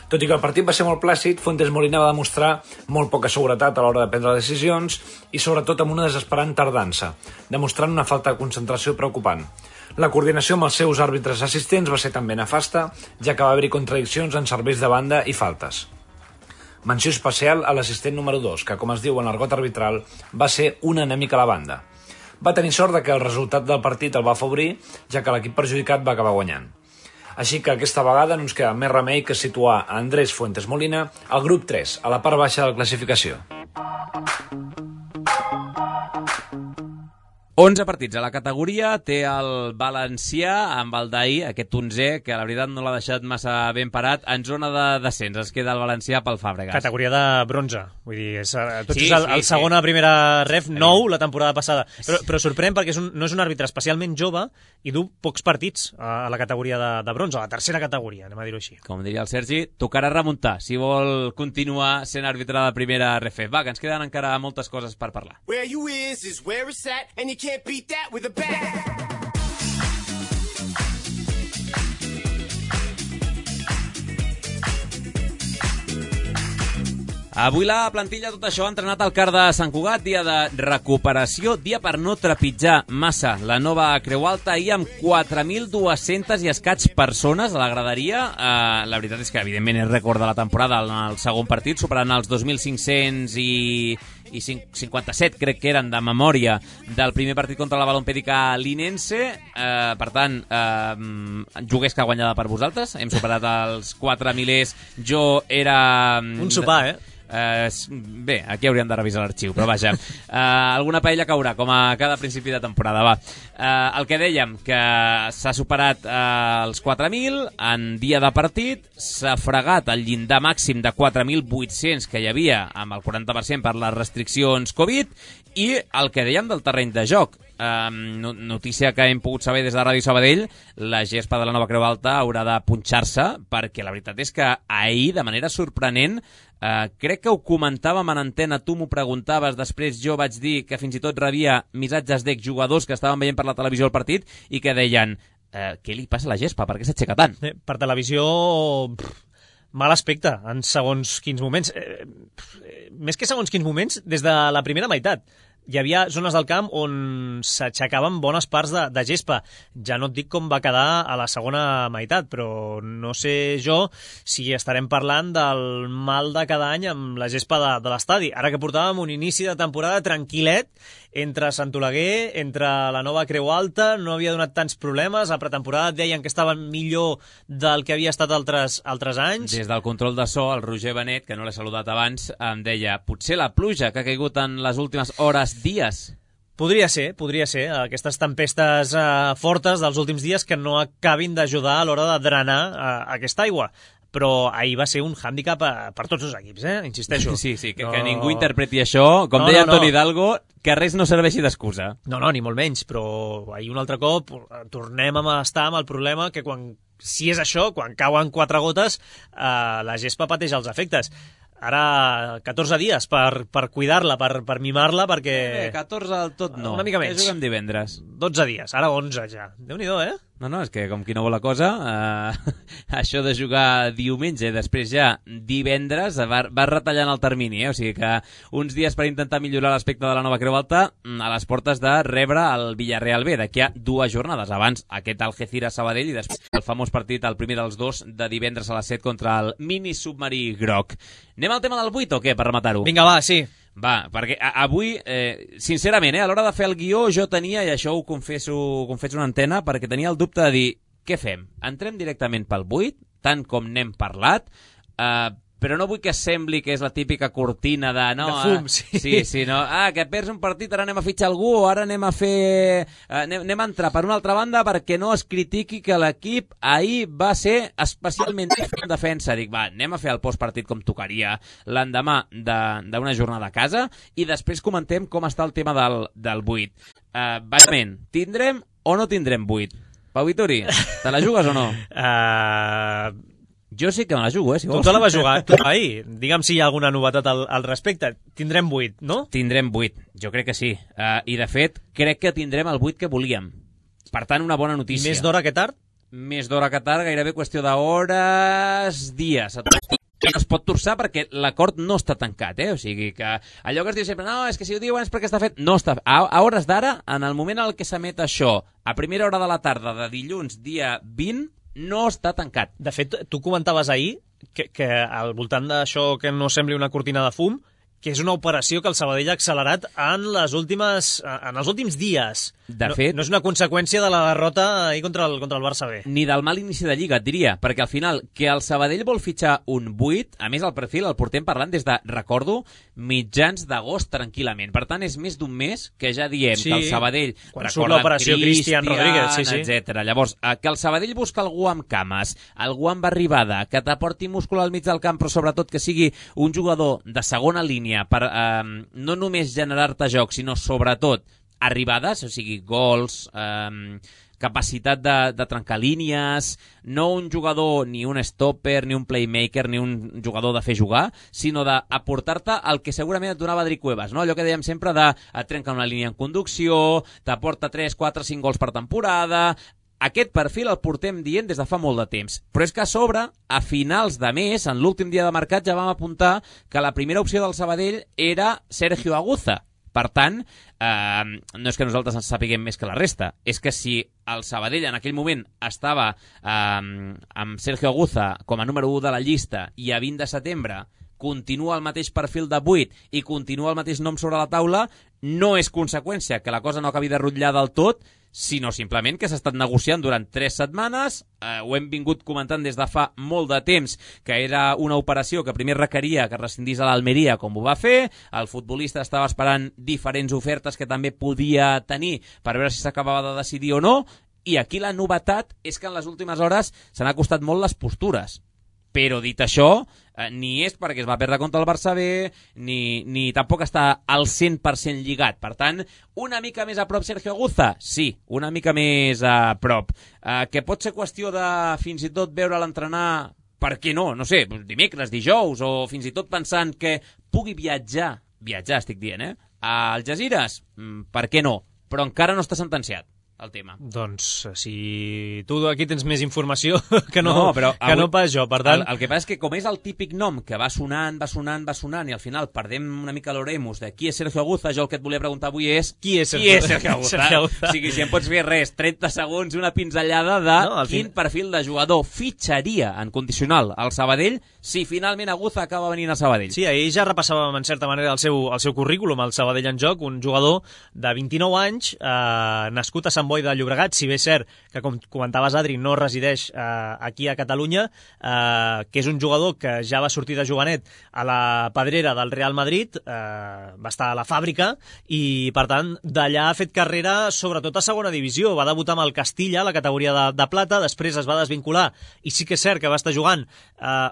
Tot i que el partit va ser molt plàcid, Fuentes Molina va demostrar molt poca seguretat a l'hora de prendre decisions i sobretot amb una desesperant tardança, demostrant una falta de concentració preocupant. La coordinació amb els seus àrbitres assistents va ser també nefasta, ja que va haver-hi contradiccions en serveis de banda i faltes. Menció especial a l'assistent número dos, que, com es diu en l'argot arbitral, va ser un enemic a la banda. Va tenir sort de que el resultat del partit el va afavorir, ja que l'equip perjudicat va acabar guanyant. Així que aquesta vegada no ens queda més remei que situar a Andrés Fuentes Molina al grup tres, a la part baixa de la classificació. onze partits a la categoria, té el valencià amb el d'ahir, aquest onzè, que la veritat no l'ha deixat massa ben parat, en zona de descens. Es queda el valencià pel Fàbregas. Categoria de bronze, vull dir, és, tot sí, és el, sí, el segon a sí. primera ref, nou la temporada passada. Però, però sorprèn perquè és un, no és un àrbitre especialment jove i du pocs partits a, a la categoria de, de bronze, a la tercera categoria, anem a dir-ho així. Com diria el Sergi, tocarà remuntar si vol continuar sent àrbitre de primera ref. Va, que ens queden encara moltes coses per parlar. Where you is is where it's at, and you can't beat that with a bat. Avui la plantilla, tot això, ha entrenat al CAR de Sant Cugat, dia de recuperació, dia per no trepitjar massa la nova Creu Alta, ahir amb quatre mil dues-centes i escaig persones a la graderia. Eh, la veritat és que, evidentment, és rècord de la temporada en el segon partit, superant els dos mil cinc-cents i... i cinquanta-set, crec que eren de memòria del primer partit contra la Balompèdica Linense. Eh, per tant, eh, juguesca guanyada per vosaltres. Hem superat els quatre milers. Jo era... Un sopar, eh? Uh, bé, aquí hauríem de revisar l'arxiu, però vaja, uh, alguna paella caurà, com a cada principi de temporada, va. Uh, el que dèiem, que s'ha superat uh, els quatre mil en dia de partit, s'ha fregat el llindar màxim de quatre mil vuit-cents que hi havia amb el quaranta per cent per les restriccions Covid, i el que dèiem del terreny de joc. Uh, notícia que hem pogut saber des de Ràdio Sabadell, la gespa de la nova Creu Alta haurà de punxar-se, perquè la veritat és que ahir, de manera sorprenent, Uh, crec que ho comentàvem en antena, tu m'ho preguntaves, després jo vaig dir que fins i tot rebia missatges d'exjugadors que estaven veient per la televisió el partit i que deien, uh, què li passa a la gespa, per què s'aixeca tant? Eh, per televisió, pff, mal aspecte en segons quins moments, eh, pff, més que segons quins moments, des de la primera meitat. Hi havia zones del camp on s'aixecaven bones parts de, de gespa. Ja no et dic com va quedar a la segona meitat, però no sé jo si estarem parlant del mal de cada any amb la gespa de, de l'estadi. Ara que portàvem un inici de temporada tranquil·let entre Sant Oleguer, entre la nova Creu Alta, no havia donat tants problemes, a pretemporada deien que estaven millor del que havia estat altres, altres anys. Des del control de so, el Roger Benet, que no l'he saludat abans, em deia, potser la pluja que ha caigut en les últimes hores, dies. Podria ser, podria ser, aquestes tempestes eh, fortes dels últims dies que no acabin d'ajudar a l'hora de drenar eh, aquesta aigua. Però ahir va ser un hàndicap per tots els equips, eh? Insisteixo. Sí, sí, que, no... que ningú interpreti això, com no, deia no, Antoni no. Hidalgo, que res no serveixi d'excusa. No, no, ni molt menys, però ahir un altre cop tornem a estar amb el problema que quan, si és això, quan cauen quatre gotes, eh, la gespa pateix els efectes. Ara, catorze dies per, per cuidar-la, per, per mimar-la, perquè... Eh, catorze del tot no. Una mica menys. Ja juguem divendres. dotze dies, ara onze ja. Déu-n'hi-do, eh? No, no, és que com qui no vol la cosa, eh, això de jugar diumenge, després ja divendres, va, va retallant el termini, eh? O sigui que uns dies per intentar millorar l'aspecte de la nova Creu Alta a les portes de rebre el Villarreal B, d'aquí a dues jornades. Abans aquest Algeciras Sabadell i després el famós partit, el primer dels dos, de divendres a les set contra el mini submarí groc. Anem al tema del vuit o què, per rematar-ho? Vinga, va, sí. Va, perquè avui, eh, sincerament, eh, a l'hora de fer el guió jo tenia, i això ho confesso, ho confesso una antena, perquè tenia el dubte de dir, què fem? Entrem directament pel vuit, tant com n'hem parlat, eh, però no vull que sembli que és la típica cortina de... No, de fum, ah, sí. Sí, sí, no, ah, que perds un partit, ara anem a fitxar algú, o ara anem a fer... Eh, anem, anem a entrar per una altra banda perquè no es critiqui que l'equip ahir va ser especialment en defensa. Dic, va, anem a fer el postpartit com tocaria l'endemà d'una jornada a casa i després comentem com està el tema del, del vuit. Eh, bàsicament, tindrem o no tindrem vuit? Pau Vituri, te la jugues o no? Uh... Jo sí que me la jugo, eh, si vols. Tu te la vas jugar tu ahir. Digue'm si hi ha alguna novetat al, al respecte. Tindrem vuit, no? Tindrem vuit, jo crec que sí. Uh, I, de fet, crec que tindrem el vuit que volíem. Per tant, una bona notícia. Més d'hora que tard? Més d'hora que tard, gairebé qüestió d'hores, dies. No es pot torçar perquè l'acord no està tancat, eh? O sigui que allò que es diu sempre, no, és que si ho diuen és perquè està fet... No està... A, a hores d'ara, en el moment en què s'emet això, a primera hora de la tarda de dilluns, dia vint, no està tancat. De fet, tu comentaves ahir que, que al voltant d'això que no sembli una cortina de fum, que és una operació que el Sabadell ha accelerat en les últimes, en els últims dies. De no, fet... No és una conseqüència de la derrota ahir contra el, contra el Barça B. Ni del mal inici de Lliga, et diria, perquè al final, que el Sabadell vol fitxar un vuit, a més el perfil el portem parlant des de, recordo, mitjans d'agost tranquil·lament. Per tant, és més d'un mes que ja diem sí, que el Sabadell... Quan surt l'operació Cristian Rodríguez, sí, sí. etcètera. Llavors, que el Sabadell busca algú amb cames, algú amb arribada, que t'aporti múscul al mig del camp, però sobretot que sigui un jugador de segona línia per eh, no només generar-te joc, sinó sobretot arribades, o sigui, gols, eh, capacitat de, de trencar línies, no un jugador, ni un stopper, ni un playmaker, ni un jugador de fer jugar, sinó d'aportar-te el que segurament et donava Adri Cuevas, no? Allò que dèiem sempre de et trenca una línia en conducció, t'aporta tres, quatre, cinc gols per temporada, Aquest perfil el portem dient des de fa molt de temps, però és que a sobre, a finals de mes, en l'últim dia de mercat, ja vam apuntar que la primera opció del Sabadell era Sergio Aguza. Per tant, eh, no és que nosaltres ens sapiguem més que la resta, és que si el Sabadell en aquell moment estava eh, amb Sergio Aguza com a número u de la llista i a vint de setembre continua el mateix perfil de vuit i continua el mateix nom sobre la taula, no és conseqüència que la cosa no acabi de rutllar del tot, sinó simplement que s'ha estat negociant durant tres setmanes, eh, ho hem vingut comentant des de fa molt de temps, que era una operació que primer requeria que rescindís a l'Almeria com ho va fer, el futbolista estava esperant diferents ofertes que també podia tenir per veure si s'acabava de decidir o no, i aquí la novetat és que en les últimes hores s'han acostat molt les postures. Però dit això, eh, ni és perquè es va perdre contra el Barça B, ni, ni tampoc està al cent per cent lligat. Per tant, una mica més a prop Sergio Aguza? Sí, una mica més a prop. Eh, que pot ser qüestió de fins i tot veure l'entrenar, per què no? No sé, dimecres, dijous, o fins i tot pensant que pugui viatjar, viatjar estic dient, eh? A Algesires? Mm, per què no? Però encara no està sentenciat el tema. Doncs si tu aquí tens més informació que no, no, però que avui, no pas jo, per tant... El, el que passa és que com és el típic nom que va sonant, va sonant, va sonant i al final perdem una mica l'oremus de qui és Sergio Aguza, jo el que et volia preguntar avui és qui és Sergio, qui és Sergio Aguza? Sergio Aguza? O sigui, si em pots fer res, trenta segons, una pinzellada de no, quin fin... perfil de jugador fitxaria en condicional al Sabadell si finalment Aguza acaba venint a Sabadell. Sí, ahir ja repassàvem en certa manera el seu, el seu currículum, el Sabadell en joc, un jugador de vint-i-nou anys, eh, nascut a Sant Boi de Llobregat, si bé és cert que, com comentaves, Adri, no resideix eh, aquí a Catalunya, eh, que és un jugador que ja va sortir de jovenet a la pedrera del Real Madrid, eh, va estar a la fàbrica i, per tant, d'allà ha fet carrera sobretot a segona divisió. Va debutar amb el Castilla, la categoria de, de plata, després es va desvincular i sí que és cert que va estar jugant, eh,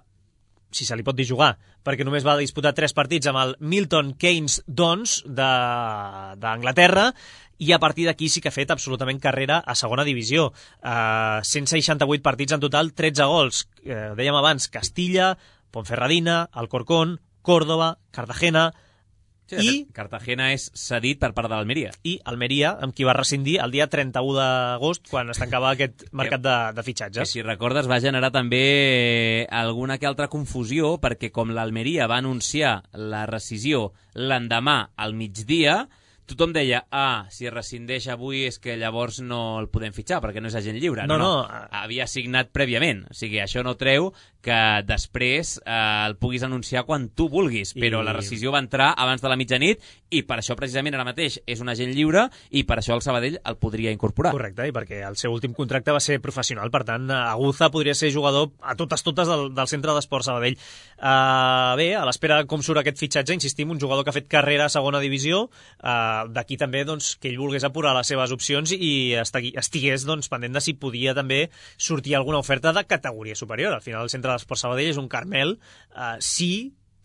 si se li pot dir jugar, perquè només va disputar tres partits amb el Milton Keynes Dons d'Anglaterra, i a partir d'aquí sí que ha fet absolutament carrera a segona divisió. Uh, cent seixanta-vuit partits en total, tretze gols. Uh, dèiem abans, Castilla, Ponferradina, Alcorcón, Córdoba, Cartagena... Sí, i Cartagena és cedit per part de l'Almeria. I Almeria, amb qui va rescindir el dia trenta-u d'agost, quan es tancava aquest mercat de, de fitxatges. Que, si recordes, va generar també alguna que altra confusió, perquè com l'Almeria va anunciar la rescisió l'endemà al migdia, tothom deia, ah, si rescindeix avui és que llavors no el podem fitxar, perquè no és agent lliure. No, no, no. no. Havia signat prèviament. O sigui, això no treu que després eh, el puguis anunciar quan tu vulguis, I... però la rescisió va entrar abans de la mitjanit i per això precisament ara mateix és un agent lliure i per això el Sabadell el podria incorporar. Correcte, i perquè el seu últim contracte va ser professional, per tant, Aguza podria ser jugador a totes totes del, del centre d'esport Sabadell. Uh, bé, a l'espera com surt aquest fitxatge, insistim, un jugador que ha fet carrera a segona divisió, uh, d'aquí també doncs, que ell volgués apurar les seves opcions i estigués doncs, pendent de si podia també sortir alguna oferta de categoria superior. Al final el centre d'esport Sabadell és un Carmel, eh, si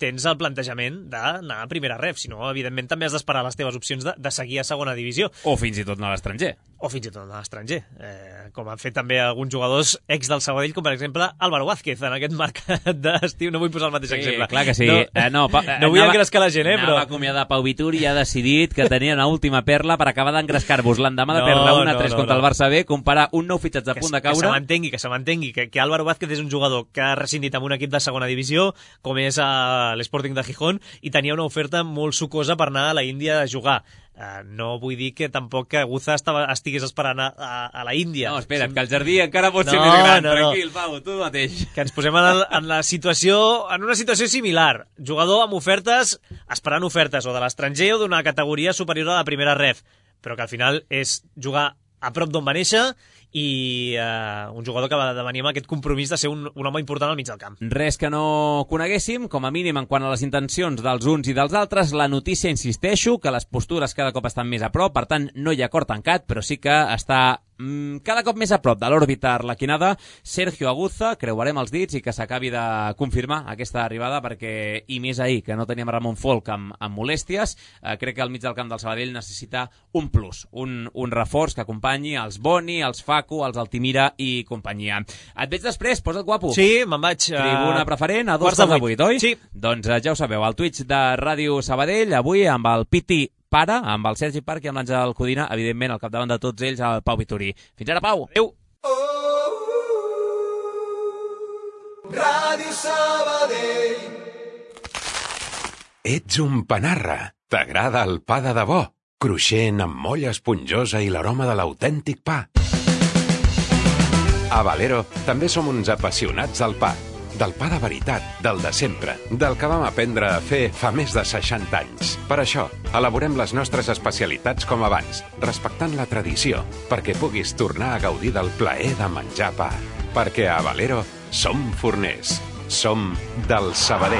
tens el plantejament d'anar a primera ref, si no, evidentment també has d'esperar les teves opcions de, de seguir a segona divisió. O fins i tot anar a l'estranger. O fins i tot anar a l'estranger, eh, com han fet també alguns jugadors ex del Sabadell, com per exemple Álvaro Vázquez, en aquest mercat d'estiu. No vull posar el mateix sí, exemple. Clar que sí. No, eh, no, pa, eh, no vull anava, engrescar la gent, eh, però... Anava a acomiadar Pau Vituri i ha decidit que tenia una última perla per acabar d'engrescar-vos l'endemà de perdre una a tres no, no, contra no. el Barça B, comparar un nou fitxatge a punt de caure... Que se m'entengui, que se m'entengui, que, que Álvaro Vázquez és un jugador que ha rescindit amb un equip de segona divisió, com és uh, l'Sporting de Gijón, i tenia una oferta molt sucosa per anar a la Índia a jugar. Uh, no vull dir que tampoc que Aguza estava, estigués esperant a, a, a la Índia. No, espera't, que el jardí encara pot no, ser més gran. No, Tranquil, no. Pau, tu mateix. Que ens posem en, el, en, la situació, en una situació similar. Jugador amb ofertes, esperant ofertes o de l'estranger o d'una categoria superior a la primera ref, però que al final és jugar a prop d'on va néixer i uh, un jugador que va de venir amb aquest compromís de ser un, un home important al mig del camp. Res que no coneguéssim, com a mínim en quant a les intencions dels uns i dels altres. La notícia, insisteixo, que les postures cada cop estan més a prop, per tant no hi ha acord tancat, però sí que està mm, cada cop més a prop de l'òrbita arlequinada Sergio Aguza. Creuarem els dits i que s'acabi de confirmar aquesta arribada, perquè, i més ahir, que no teníem Ramon Folk amb, amb molèsties, eh, crec que el mig del camp del Sabadell necessita un plus, un, un reforç que acompanyi els Boni, els Facu, els Altimira i companyia. Et veig després, posa't guapo. Sí, me'n vaig. Tribuna preferent a dos quarts de vuit, oi? Sí. Doncs ja ho sabeu, al Twitch de Ràdio Sabadell, avui amb el Piti Pare, amb el Sergi Parc i amb l'Àngel Codina, evidentment al capdavant de tots ells, el Pau Vituri. Fins ara, Pau! Adéu! Ràdio Sabadell. Ets un panarra. T'agrada el pa de debò? Cruixent, amb molla esponjosa i l'aroma de l'autèntic pa. A Valero també som uns apassionats del pa. Del pa de veritat, del de sempre, del que vam aprendre a fer fa més de seixanta anys. Per això, elaborem les nostres especialitats com abans, respectant la tradició, perquè puguis tornar a gaudir del plaer de menjar pa. Perquè a Valero som forners. Som del Sabadell.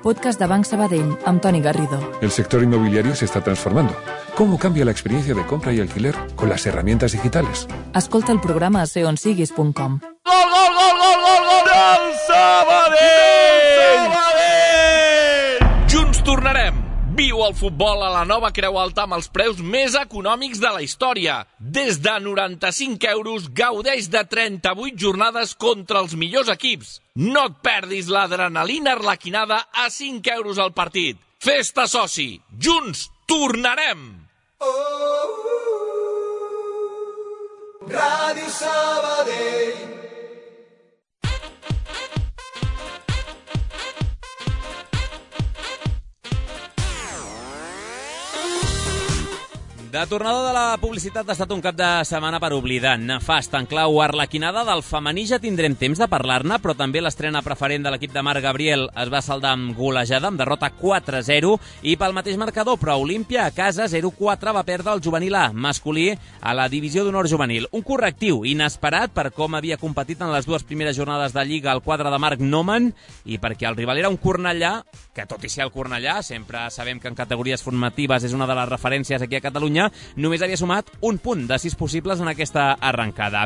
Podcast de Banc Sabadell, amb Toni Garrido. El sector inmobiliario se está transformando. ¿Cómo cambia la experiencia de compra y alquiler con las herramientas digitales? Escolta el programa a seonsiguis punt com. Gol, gol, gol, gol, gol, gol del Sabadell! Sabadell! Junts tornarem. Viu el futbol a la nova Creu Alta amb els preus més econòmics de la història. Des de noranta-cinc euros gaudeix de trenta-vuit jornades contra els millors equips. No et perdis l'adrenalina arlequinada a cinc euros al partit. Festa soci. Junts tornarem. Oh, Ràdio Sabadell. De tornada de la publicitat ha estat un cap de setmana per oblidar. Nefast, en clau arlequinada del femení ja tindrem temps de parlar-ne, però també l'estrena preferent de l'equip de Marc Gabriel es va saldar amb golejada, amb derrota quatre a zero, i pel mateix marcador, però Olímpia a casa zero quatre va perdre el juvenil A, masculí, a la divisió d'honor juvenil. Un correctiu inesperat per com havia competit en les dues primeres jornades de Lliga al quadre de Marc Noman, i perquè el rival era un Cornellà, que tot i ser el Cornellà, sempre sabem que en categories formatives és una de les referències aquí a Catalunya, només havia sumat un punt de sis possibles en aquesta arrencada.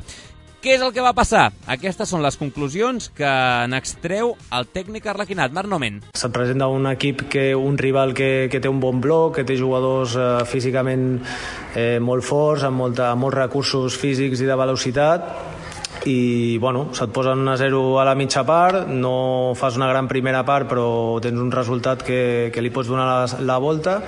Què és el que va passar? Aquestes són les conclusions que n'extreu el tècnic arlequinat, Marc Nomen. Se't presenta un equip, que un rival que, que té un bon bloc, que té jugadors eh, físicament eh, molt forts, amb, molta, amb molts recursos físics i de velocitat, i bueno, se't posen un a zero a la mitja part, no fas una gran primera part, però tens un resultat que, que li pots donar la, la volta.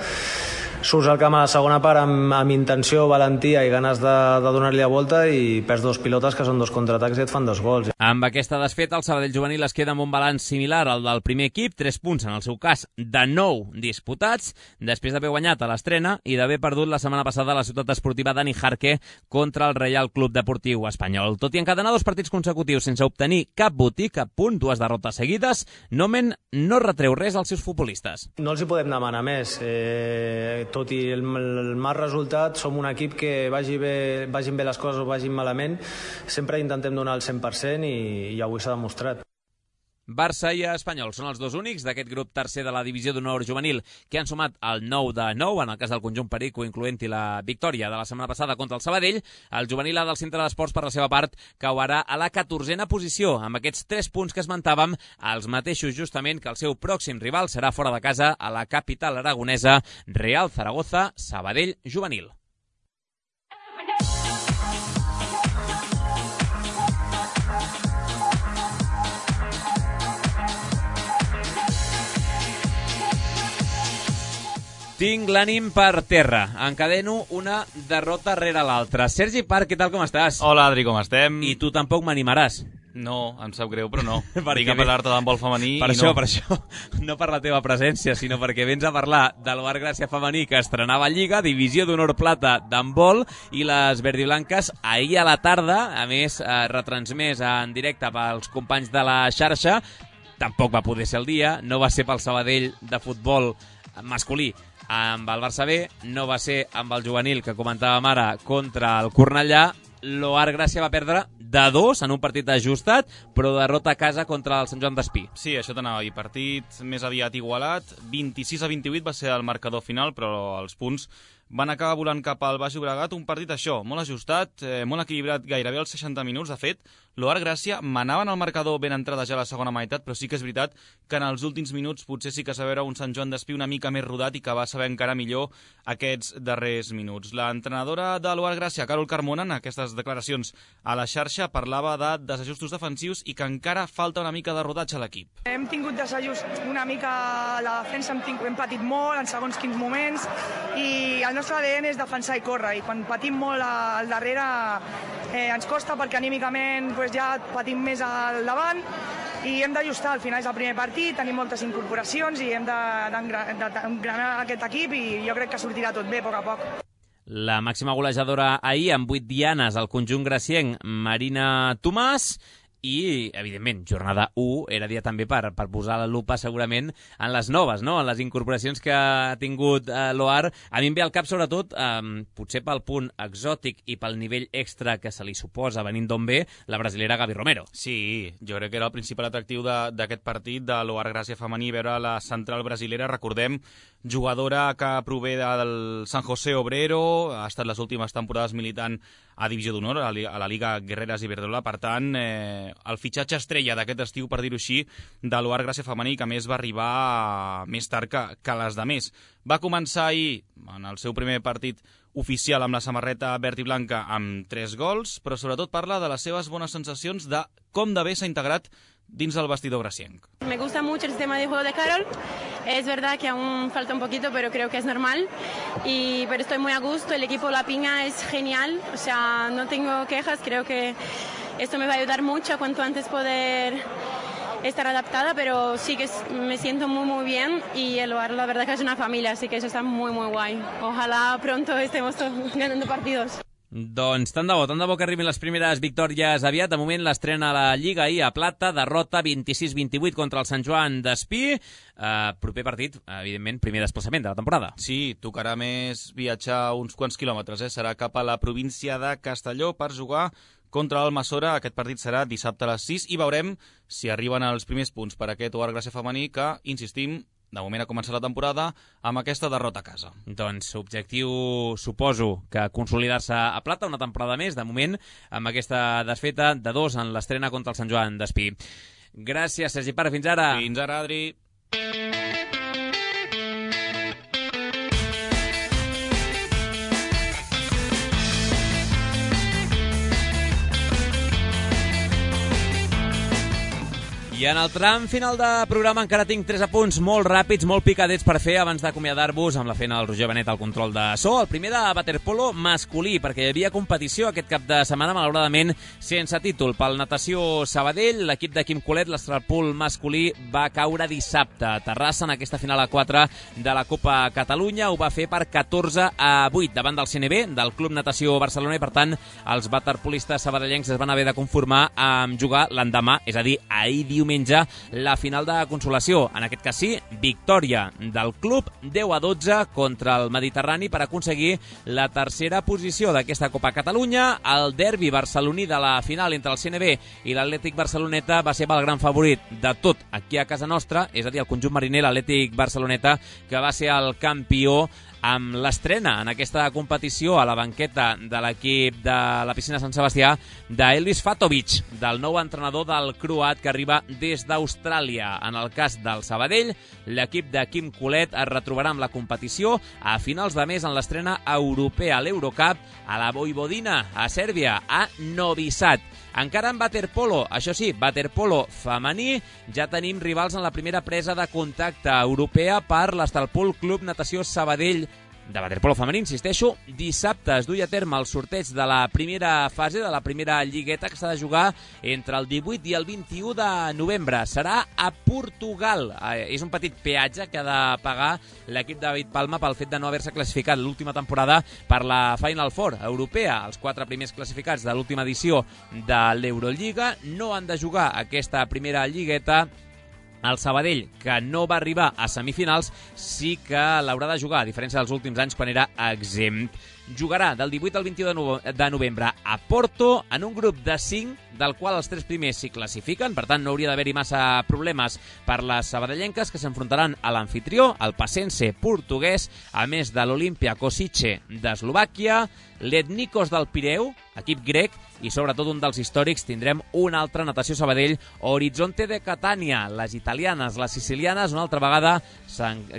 Surts al camp a la segona part amb, amb intenció, valentia i ganes de, de donar-li la volta, i perds dos pilotes que són dos contraatacs i et fan dos gols. Amb aquesta desfeta, el Sabadell juvenil es queda amb un balanç similar al del primer equip, tres punts en el seu cas de nou disputats, després d'haver guanyat a l'estrena i d'haver perdut la setmana passada a la ciutat esportiva Dani Jarque contra el Reial Club Deportiu Espanyol. Tot i encadenar dos partits consecutius sense obtenir cap botí, cap punt, dues derrotes seguides, Nomen no retreu res als seus futbolistes. No els hi podem demanar més. Eh, tot i el, el mal resultat, som un equip que vagi bé, vagin bé les coses o vagin malament, sempre intentem donar el cent per cent, i, i avui s'ha demostrat. Barça i Espanyol són els dos únics d'aquest grup tercer de la divisió d'honor juvenil que han sumat el nou de nou, en el cas del conjunt perico, incloent-hi la victòria de la setmana passada contra el Sabadell. El juvenil A del Centre d'Esports, per la seva part, cauarà a la catorzena posició, amb aquests tres punts que esmentàvem, els mateixos justament que el seu pròxim rival serà fora de casa a la capital aragonesa, Real Zaragoza, Sabadell juvenil. Tinc l'ànim per terra. Encadeno una derrota rere l'altra. Sergi Parc, què tal, com estàs? Hola, Adri, com estem? I tu tampoc m'animaràs. No, em sap greu, però no. Vinc a parlar-te d'handbol femení per i això, no. Per això, no per la teva presència, sinó perquè vens a parlar de l'Oar Gràcia femení, que estrenava Lliga, divisió d'honor plata d'handbol, i les verdiblanques ahir a la tarda, a més, eh, retransmès en directe pels companys de la xarxa. Tampoc va poder ser el dia, no va ser pel Sabadell de futbol masculí amb el Barça B, no va ser amb el juvenil que comentàvem ara contra el Cornellà. L'Oar Gràcia va perdre de dos en un partit ajustat, però derrota a casa contra el Sant Joan d'Espí. Sí, això t'anava a dir. Partit més aviat igualat. vint-i-sis a vint-i-vuit va ser el marcador final, però els punts van acabar volant cap al Baix Llobregat. Un partit, això, molt ajustat, eh, molt equilibrat, gairebé als seixanta minuts. De fet, l'Oar Gràcia manaven el marcador ben entrada ja a la segona meitat, però sí que és veritat que en els últims minuts potser sí que es va veure un Sant Joan d'Espí una mica més rodat i que va saber encara millor aquests darrers minuts. L'entrenadora de l'Oar Gràcia, Carol Carmona, en aquestes declaracions a la xarxa, parlava de desajustos defensius i que encara falta una mica de rodatge a l'equip. Hem tingut desajust una mica a la defensa, hem, tingut, hem patit molt en segons quins moments, i el el nostre A D N és defensar i córrer, i quan patim molt al darrere eh, ens costa perquè anímicament pues, ja patim més al davant i hem d'ajustar. Al final és el primer partit, tenim moltes incorporacions i hem d'engranar aquest equip i jo crec que sortirà tot bé a poc a poc. La màxima golejadora ahir amb vuit dianes al conjunt gracienc, Marina Tomàs, i, evidentment, jornada u era dia també per, per posar la lupa segurament en les noves, no? En les incorporacions que ha tingut eh, l'O A R. A mi em ve al cap, sobretot, eh, potser pel punt exòtic i pel nivell extra que se li suposa venint d'on ve, la brasilera Gaby Romero. Sí, jo crec que era el principal atractiu d'aquest partit de l'O A R Gràcia femení, veure la central brasilera, recordem, jugadora que prové del San José Obrero, ha estat les últimes temporades militant a Divisió d'Honor, a la Liga Guerreras Iberdrola. Per tant, eh, el fitxatge estrella d'aquest estiu, per dir-ho així, de l'O A R Gràcia femení, que a més va arribar més tard que, que les de més. Va començar ahir, en el seu primer partit oficial amb la samarreta verd i blanca, amb tres gols, però sobretot parla de les seves bones sensacions de com de bé s'ha integrat dins del vestidor gracienc. Me gusta mucho el sistema de juego de Carol. Es verdad que aún falta un poquito, pero creo que es normal. Y, pero estoy muy a gusto. El equipo La Piña es genial. O sea, no tengo quejas. Creo que esto me va a ayudar mucho a cuanto antes poder estar adaptada, pero sí que me siento muy, muy bien. Y el O A R, la verdad que es una familia, así que eso está muy, muy guay. Ojalá pronto estemos todos ganando partidos. Doncs tant de bo, tant de bo que arribin les primeres victòries aviat. De moment l'estrena a la Lliga ahir a Plata, derrota vint-i-sis vint-i-vuit contra el Sant Joan d'Espí. Uh, proper partit, evidentment, primer desplaçament de la temporada. Sí, tocarà més viatjar uns quants quilòmetres, eh? Serà cap a la província de Castelló per jugar contra l'Almassora. Aquest partit serà dissabte a les sis i veurem si arriben els primers punts per aquest O A R Gràcia femení que, insistim, de moment ha començat la temporada amb aquesta derrota a casa. Doncs objectiu, suposo, que consolidar-se a Plata una temporada més, de moment, amb aquesta desfeta de dos en l'estrena contra el Sant Joan d'Espí. Gràcies, Sergi Parra. Fins ara. Fins ara, Adri. I en el tram final de programa encara tinc tres apunts molt ràpids, molt picadets per fer abans d'acomiadar-vos amb la feina del Roger Benet al control de so. El primer de waterpolo masculí, perquè hi havia competició aquest cap de setmana, malauradament sense títol. Pel Natació Sabadell, l'equip de Quim Colet, l'estralpool masculí, va caure dissabte a Terrassa en aquesta final a quatre de la Copa Catalunya. Ho va fer per catorze a vuit davant del C N B, del Club Natació Barcelona, i per tant els waterpolistes sabadellencs es van haver de conformar amb jugar l'endemà, és a dir, ahir diumenge, diumenge la final de consolació. En aquest cas sí, victòria del club deu a dotze contra el Mediterrani per aconseguir la tercera posició d'aquesta Copa Catalunya. El derbi barceloní de la final entre el C N B i l'Atlètic Barceloneta va ser el gran favorit de tot aquí a casa nostra, és a dir, el conjunt mariner, l'Atlètic Barceloneta, que va ser el campió amb l'estrena en aquesta competició a la banqueta de l'equip de la piscina Sant Sebastià d'Elvis Fatovic, del nou entrenador del croat que arriba des d'Austràlia. En el cas del Sabadell, l'equip de Quim Colet es retrobarà amb la competició a finals de mes en l'estrena europea a l'Eurocup a la Vojvodina, a Sèrbia, a Novi Sad. Encara en waterpolo, això sí, waterpolo femení, ja tenim rivals en la primera presa de contacte europea per l'Estalpol Club Natació Sabadell de waterpolo femení, insisteixo. Dissabte es duia a terme el sorteig de la primera fase, de la primera lligueta, que s'ha de jugar entre el divuit i el vint-i-u de novembre. Serà a Portugal. Eh, és un petit peatge que ha de pagar l'equip de David Palma pel fet de no haver-se classificat l'última temporada per la Final Four europea. Els quatre primers classificats de l'última edició de l'Eurolliga no han de jugar aquesta primera lligueta. El Sabadell, que no va arribar a semifinals, sí que l'haurà de jugar, a diferència dels últims anys quan era exempt. Jugarà del divuit al vint-i-u de novembre a Porto, en un grup de cinc, del qual els tres primers s'hi classifiquen, per tant no hauria d'haver-hi massa problemes per les sabadellenques, que s'enfrontaran a l'anfitrió, el Pacense portuguès, a més de l'Olimpia Kosice d'Eslovàquia, l'Etnikos del Pireu, equip grec, i sobretot un dels històrics tindrem una altra Natació Sabadell, Horizonte de Catània. Les italianes, les sicilianes, una altra vegada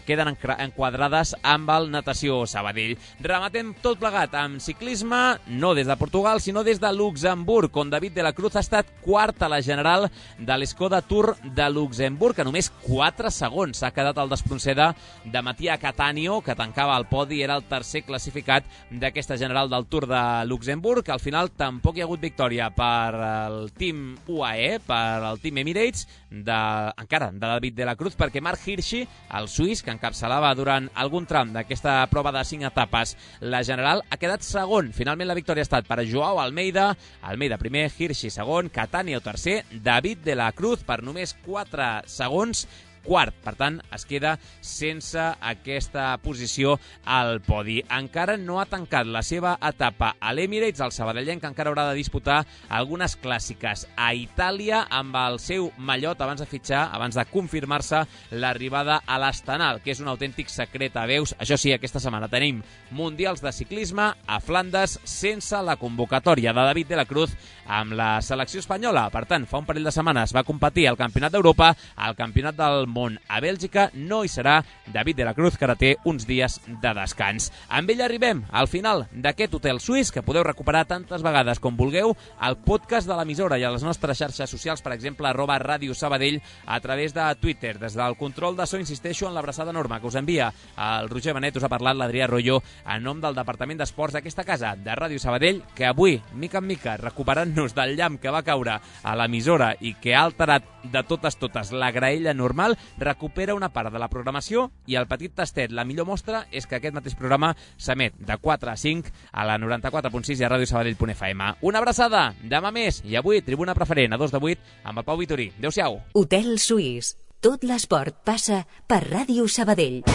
queden enquadrades amb el Natació Sabadell. Rematem tot tot plegat amb ciclisme, no des de Portugal, sinó des de Luxemburg, on David de la Cruz ha estat quart a la general de l'Skoda Tour de Luxemburg, a només quatre segons. S'ha quedat el despronceda de Mattia Cattaneo, que tancava el podi, era el tercer classificat d'aquesta general del Tour de Luxemburg. Al final tampoc hi ha hagut victòria per el team U A E, per el team Emirates, de, encara de David de la Cruz, perquè Marc Hirschi, el suís, que encapçalava durant algun tram d'aquesta prova de cinc etapes la general, ha quedat segon. Finalment la victòria ha estat per Joao Almeida, Almeida primer, Hirschi segon, Cattaneo tercer, David de la Cruz per només quatre segons, quart. Per tant, es queda sense aquesta posició al podi. Encara no ha tancat la seva etapa a l'Emirates, el sabadellenc encara haurà de disputar algunes clàssiques a Itàlia amb el seu mallot abans de fitxar, abans de confirmar-se l'arribada a l'Astana, que és un autèntic secret a veus. Això sí, aquesta setmana tenim mundials de ciclisme a Flandes sense la convocatòria de David de la Cruz amb la selecció espanyola. Per tant, fa un parell de setmanes va competir al Campionat d'Europa, al Campionat del món a Bèlgica. No hi serà David de la Cruz, que ara té uns dies de descans. Amb ell arribem al final d'aquest hotel suís, que podeu recuperar tantes vegades com vulgueu al podcast de l'emissora i a les nostres xarxes socials, per exemple, arroba Ràdio Sabadell, a través de Twitter. Des del control de so insisteixo en l'abraçada enorme que us envia el Roger Benet. Us ha parlat l'Adrià Royo en nom del Departament d'Esports d'aquesta casa de Ràdio Sabadell, que avui, mica en mica, recuperant-nos del llamp que va caure a l'emissora i que ha alterat de totes totes la graella normal, recupera una part de la programació i el petit tastet. La millor mostra és que aquest mateix programa s'emet de quatre a cinc a la noranta-quatre punt sis i a ràdio sabadell punt f m. Una abraçada, demà més, i avui tribuna preferent a dos de vuit amb el Pau Vitorí. Adéu-siau. Hotel Suís. Tot l'esport passa per Ràdio Sabadell.